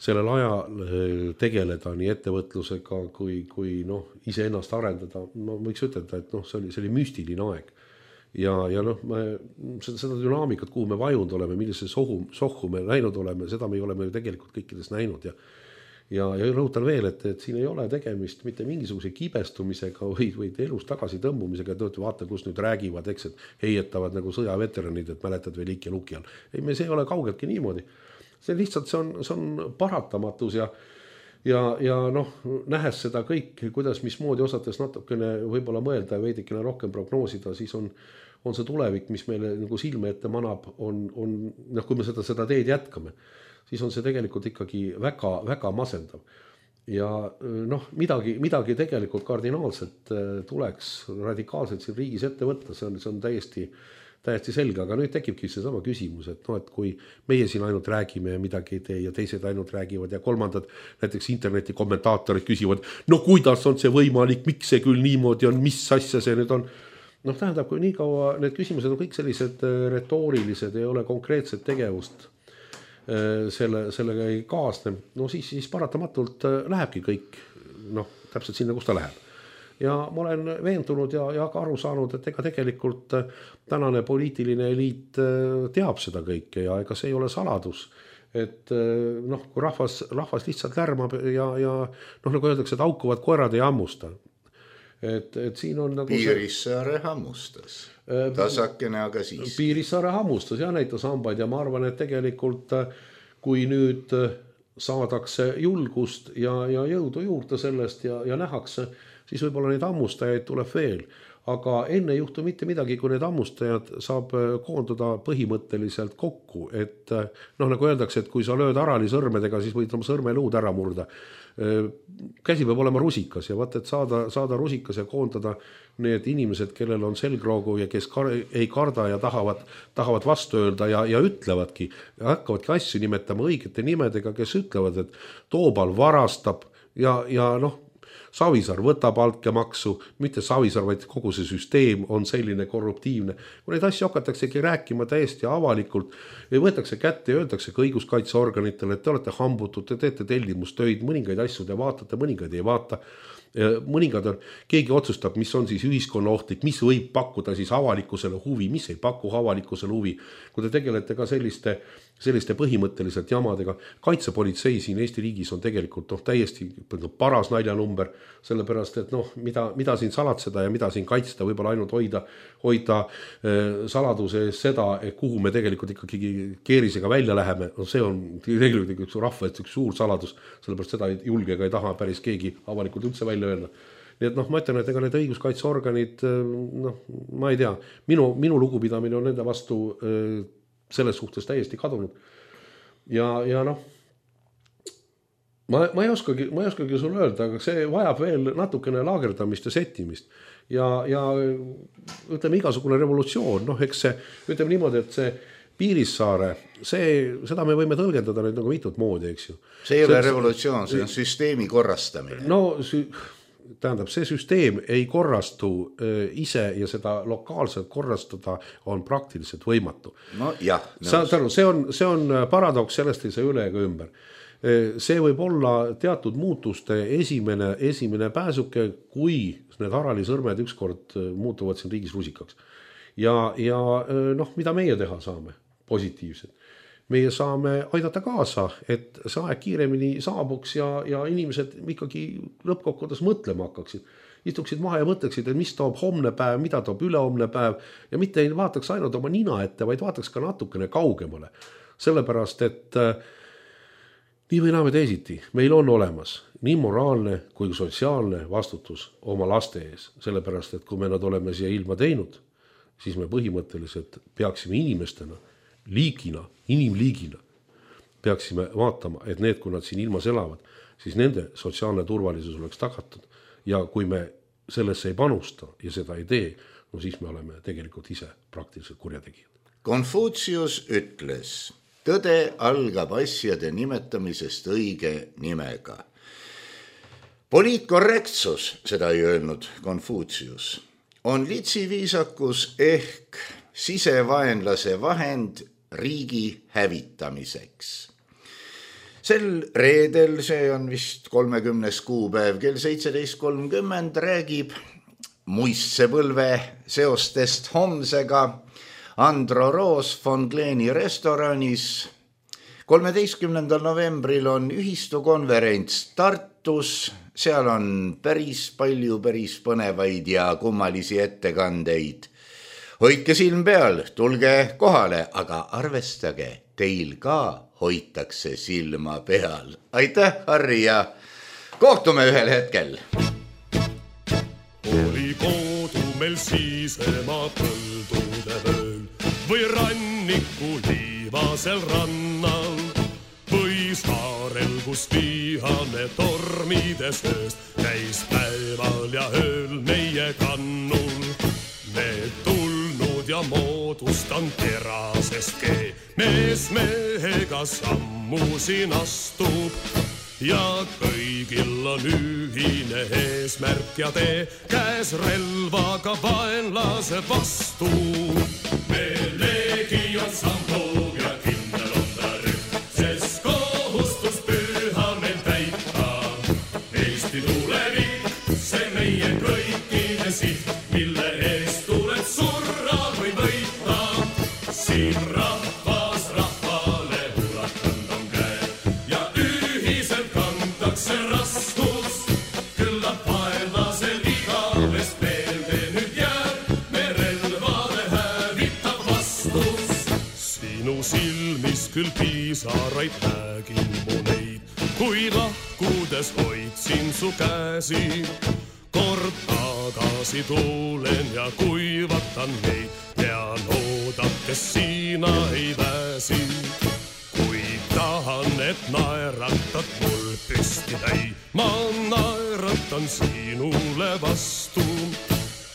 sellel ajal tegeleda nii ettevõtlusega kui, kui noh, ise ennast arendada. Ma võiks ütelda, et noh, see oli, see oli müstiline aeg. Ja, ja noh, me, seda, seda dünaamikat, kuhu me vajunud oleme, millise sohu, sohhu me näinud oleme, seda me oleme ju tegelikult kõikides näinud. Ja, ja, ja rõhutan veel, et, et siin ei ole tegemist mitte mingisuguse kibestumisega või, või elus tagasi tõmbumisega, et vaata, kus nüüd räägivad, eks, et heietavad nagu sõjaveteranid, et mäletad veel Iki Luki all. Ei, me see ei ole kaugeltki niimoodi. See lihtsalt, see on, see on paratamatus ja Ja, ja noh, nähes seda kõik, kuidas mismoodi osates natukene võib-olla mõelda ja veidikene rohkem prognoosida, siis on, on see tulevik, mis meile nagu silme ette manab, on, on noh, kui me seda, seda teed jätkame, siis on see tegelikult ikkagi väga, väga masendav. Ja noh, midagi, midagi tegelikult kardinaalselt tuleks radikaalselt siin riigis ette võtta, see on, see on täiesti täiesti selge, aga nüüd tekibki see sama küsimus, et noh, et kui meie siin ainult räägime ja midagi ei tee ja teised ainult räägivad ja kolmandad näiteks interneti kommentaatorid küsivad, no kuidas on see võimalik, miks see küll niimoodi on, mis asja see nüüd on. Noh, tähendab, kui nii kaua need küsimused on kõik sellised retoorilised, ei ole konkreetset tegevust selle, sellega ei kaasne, no siis, siis paratamatult lähebki kõik noh, täpselt sinna, kus ta läheb. Ja ma olen veendunud ja, ja ka aru saanud, et ega tegelikult tänane poliitiline eliit teab seda kõike ja ega see ei ole saladus. Et noh, kui rahvas, rahvas lihtsalt lärmab ja, ja noh, nagu öeldakse, et haukuvad koerad ei hammusta. Et, et siin on nagu Piirissaare hammustas. Tasakene, aga siis. Piirissaare hammustas ja näitas hambaid ja ma arvan, et tegelikult kui nüüd saadakse julgust ja, ja jõudu juurde sellest ja, ja nähakse, siis võib-olla neid hammustajaid tuleb veel. Aga enne ei juhtu mitte midagi, kui need hammustajad saab koonduda põhimõtteliselt kokku. Et noh, nagu öeldakse, et kui sa lööd arali sõrmedega, siis võid oma sõrmeluud ära murda. Käsi peab olema rusikas ja vaat, et saada, saada rusikas ja koondada need inimesed, kellel on selgroogu ja kes kar ei karda ja tahavad, tahavad vastu öelda ja, ja ütlevadki, ja hakkavadki asju nimetama õigete nimedega, kes ütlevad, et Toobal varastab ja, ja noh, Savisaar võtab altkäemaksu, mitte Savisaar, vaid kogu see süsteem on selline korruptiivne. Kui neid asju hakataksegi rääkima täiesti avalikult, võetakse kätte ja öeldakse ka õiguskaitseorganitele, et te olete hambutud, te teete tellimustöid, mõningaid asju te vaatate, mõningaid ei vaata. Mõningad on, keegi otsustab, mis on siis ühiskonna ohtlik, mis võib pakkuda siis avalikkusele huvi, mis ei paku avalikkusele huvi. Kui te tegelete ka selliste, selliste põhimõtteliselt jamadega, kaitsepolitsei siin Eesti riigis on tegelikult noh, täiesti paras naljanumber, sellepärast, et noh, mida, mida siin salatseda ja mida siin kaitsta, võib-olla ainult hoida, hoida eh, saladuse seda, et kuhu me tegelikult ikkagi keerisega välja läheme, no see on tegelikult üks rahva üks suur saladus, sellepärast seda ei julge ega ei taha päris keegi avalikult üldse välja öelda. Nii et noh, ma ütlen, et ega need õiguskaitseorganid, noh, ma ei tea, minu, minu lugupidamine on nende vastu äh, selles suhtes täiesti kadunud. Ja, ja noh, ma, ma, ei oskagi, ma ei oskagi sulle öelda, aga see vajab veel natukene laagerdamist ja settimist. Ja, ja ütleme, igasugune revolutsioon, noh, eks see, ütleme niimoodi, et see Piirissaare, see, seda me võime tõlgendada nüüd nagu mitut moodi, eks ju. See ei ole revolutsioon, see on süsteemi korrastamine. No, tähendab, see süsteem ei korrastu ise ja seda lokaalselt korrastada on praktiliselt võimatu. No jah. Saad aru, see on, see on paradoks, sellest ei saa üle ega ümber. See võib olla teatud muutuste esimene, esimene pääsuke, kui need harali sõrmed ükskord muutuvad siin riigis rusikaks. Ja, ja noh, mida meie teha saame? Positiivsed. meie saame aidata kaasa, et see aeg kiiremini saabuks ja, ja inimesed ikkagi lõppkokkuvõttes mõtlema hakkaksid. Istuksid maha ja mõtleksid, et mis toob homne päev, mida toob ülehomne päev ja mitte ei vaataks ainult oma nina ette, vaid vaataks ka natukene kaugemale. Sellepärast, et äh, nii või naame teisiti, meil on olemas nii moraalne kui sotsiaalne vastutus oma laste ees. Sellepärast, et kui me nad oleme siia ilma teinud, siis me põhimõtteliselt peaksime inimestena, liigina, inimliigina, peaksime vaatama, et need, kui nad siin ilmas elavad, siis nende sotsiaalne turvalisus oleks tagatud. Ja kui me sellesse ei panusta ja seda ei tee, no siis me oleme tegelikult ise praktiliselt kurjategijad. Konfutsius ütles, tõde algab asjade nimetamisest õige nimega. Poliitkorrektsus, seda ei öelnud Konfutsius, on litsiviisakus ehk sisevaenlase vahend riigi hävitamiseks. Sel reedel, see on vist kolmekümnes kuupäev, kell seitseteist kolmkümmend räägib muistsepõlve seostest homsega Andro Roos von Kleeni restoranis. kolmeteistkümnendal novembril on ühistukonverents Tartus, seal on päris palju päris põnevaid ja kummalisi ettekandeid. Hoidke silm peal, tulge kohale, aga arvestage, teil ka hoitakse silma peal. Aitäh, Harri, ja kohtume ühel hetkel. Oli kodu meil siisema põldude vööl või ranniku liivasel rannal või saarel, kus vihane tormides ööst käis päeval ja ööl meie kannul. Me tulnud ja moodustan terasest kee, mees mehega sammu siin astub ja kõigil on ühine eesmärk ja tee, käes relvaga vaenlase vastu. Me leegion sammub ja kindel on ta rühm, sest kohustus püha meil täita. Eesti tulevik, see meie kõikide siht, mille eest tuleb surra või võita. Siin rahvas rahvale ulatanud on käe ja ühiselt kantakse raskus. Küllap vaenlasel igavest meelde nüüd jääb, me relvade hävitab vastus. Sinu silmis küll piisaraid nägin mu neid, kui lahkudes hoidsin su käsi. Kord tagasi tulen ja kuivatan neid, tean oodates siina ei väsi. Kui tahan, et naeratad mul püsti täi, ma naeratan sinule vastu.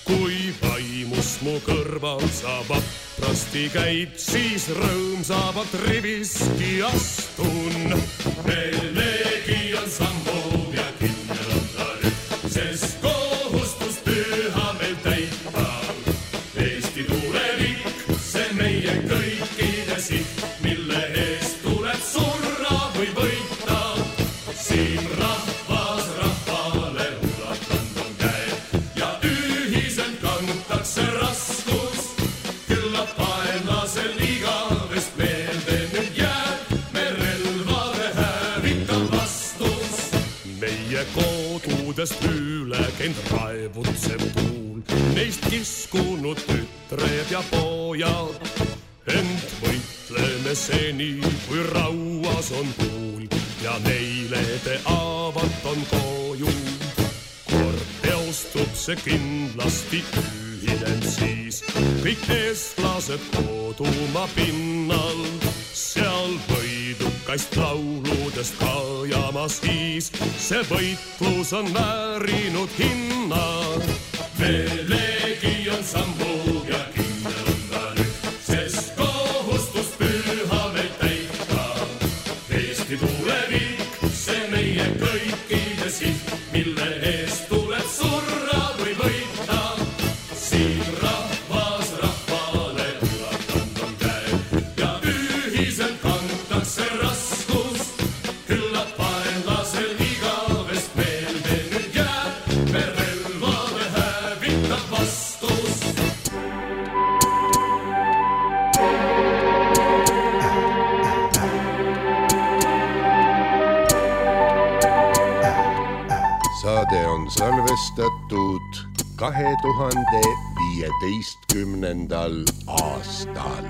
Kui vaimus mu kõrval sa vaprasti käid, siis rõõmsavalt riviski astun. Meil leegion sammub ja kindel on ta rühm, sest kohustus püha meil täita. Eesti tulevik, see meie kõikide siht, mille eest tuleb surra või võita. Siin rahvas rahvale ulatanud on käe ja ühiselt kantakse raskus. Küllap vaenlasel igavest meelde nüüd jääb, me relvade hävitab vastus. Meie kodudest üle käinud raevutsev tuul, neist kiskunud tütred ja pojad. Ent võitleme seni, kui rauas on tuul ja neile te avat on koju. Kord teostub see kindlasti ühinen siis kõik eestlased kodumaa pinnal. Seal võidukast lauludest kajama siis see võitlus on väärinud hinna. Me leegion sammub ja kindel on ta rühm, sest kohustus püha meil täita. Eesti tulevik, see meie kõikide siht, mille eest tuleb surra või võita. Siin rahvas rahvale ulatanud on käe ja ühiselt kantakse raskus. Küllap vaenlasel igavest meelde nüüd jääb, me relva avaldatud kahe tuhande viieteistkümnendal aastal.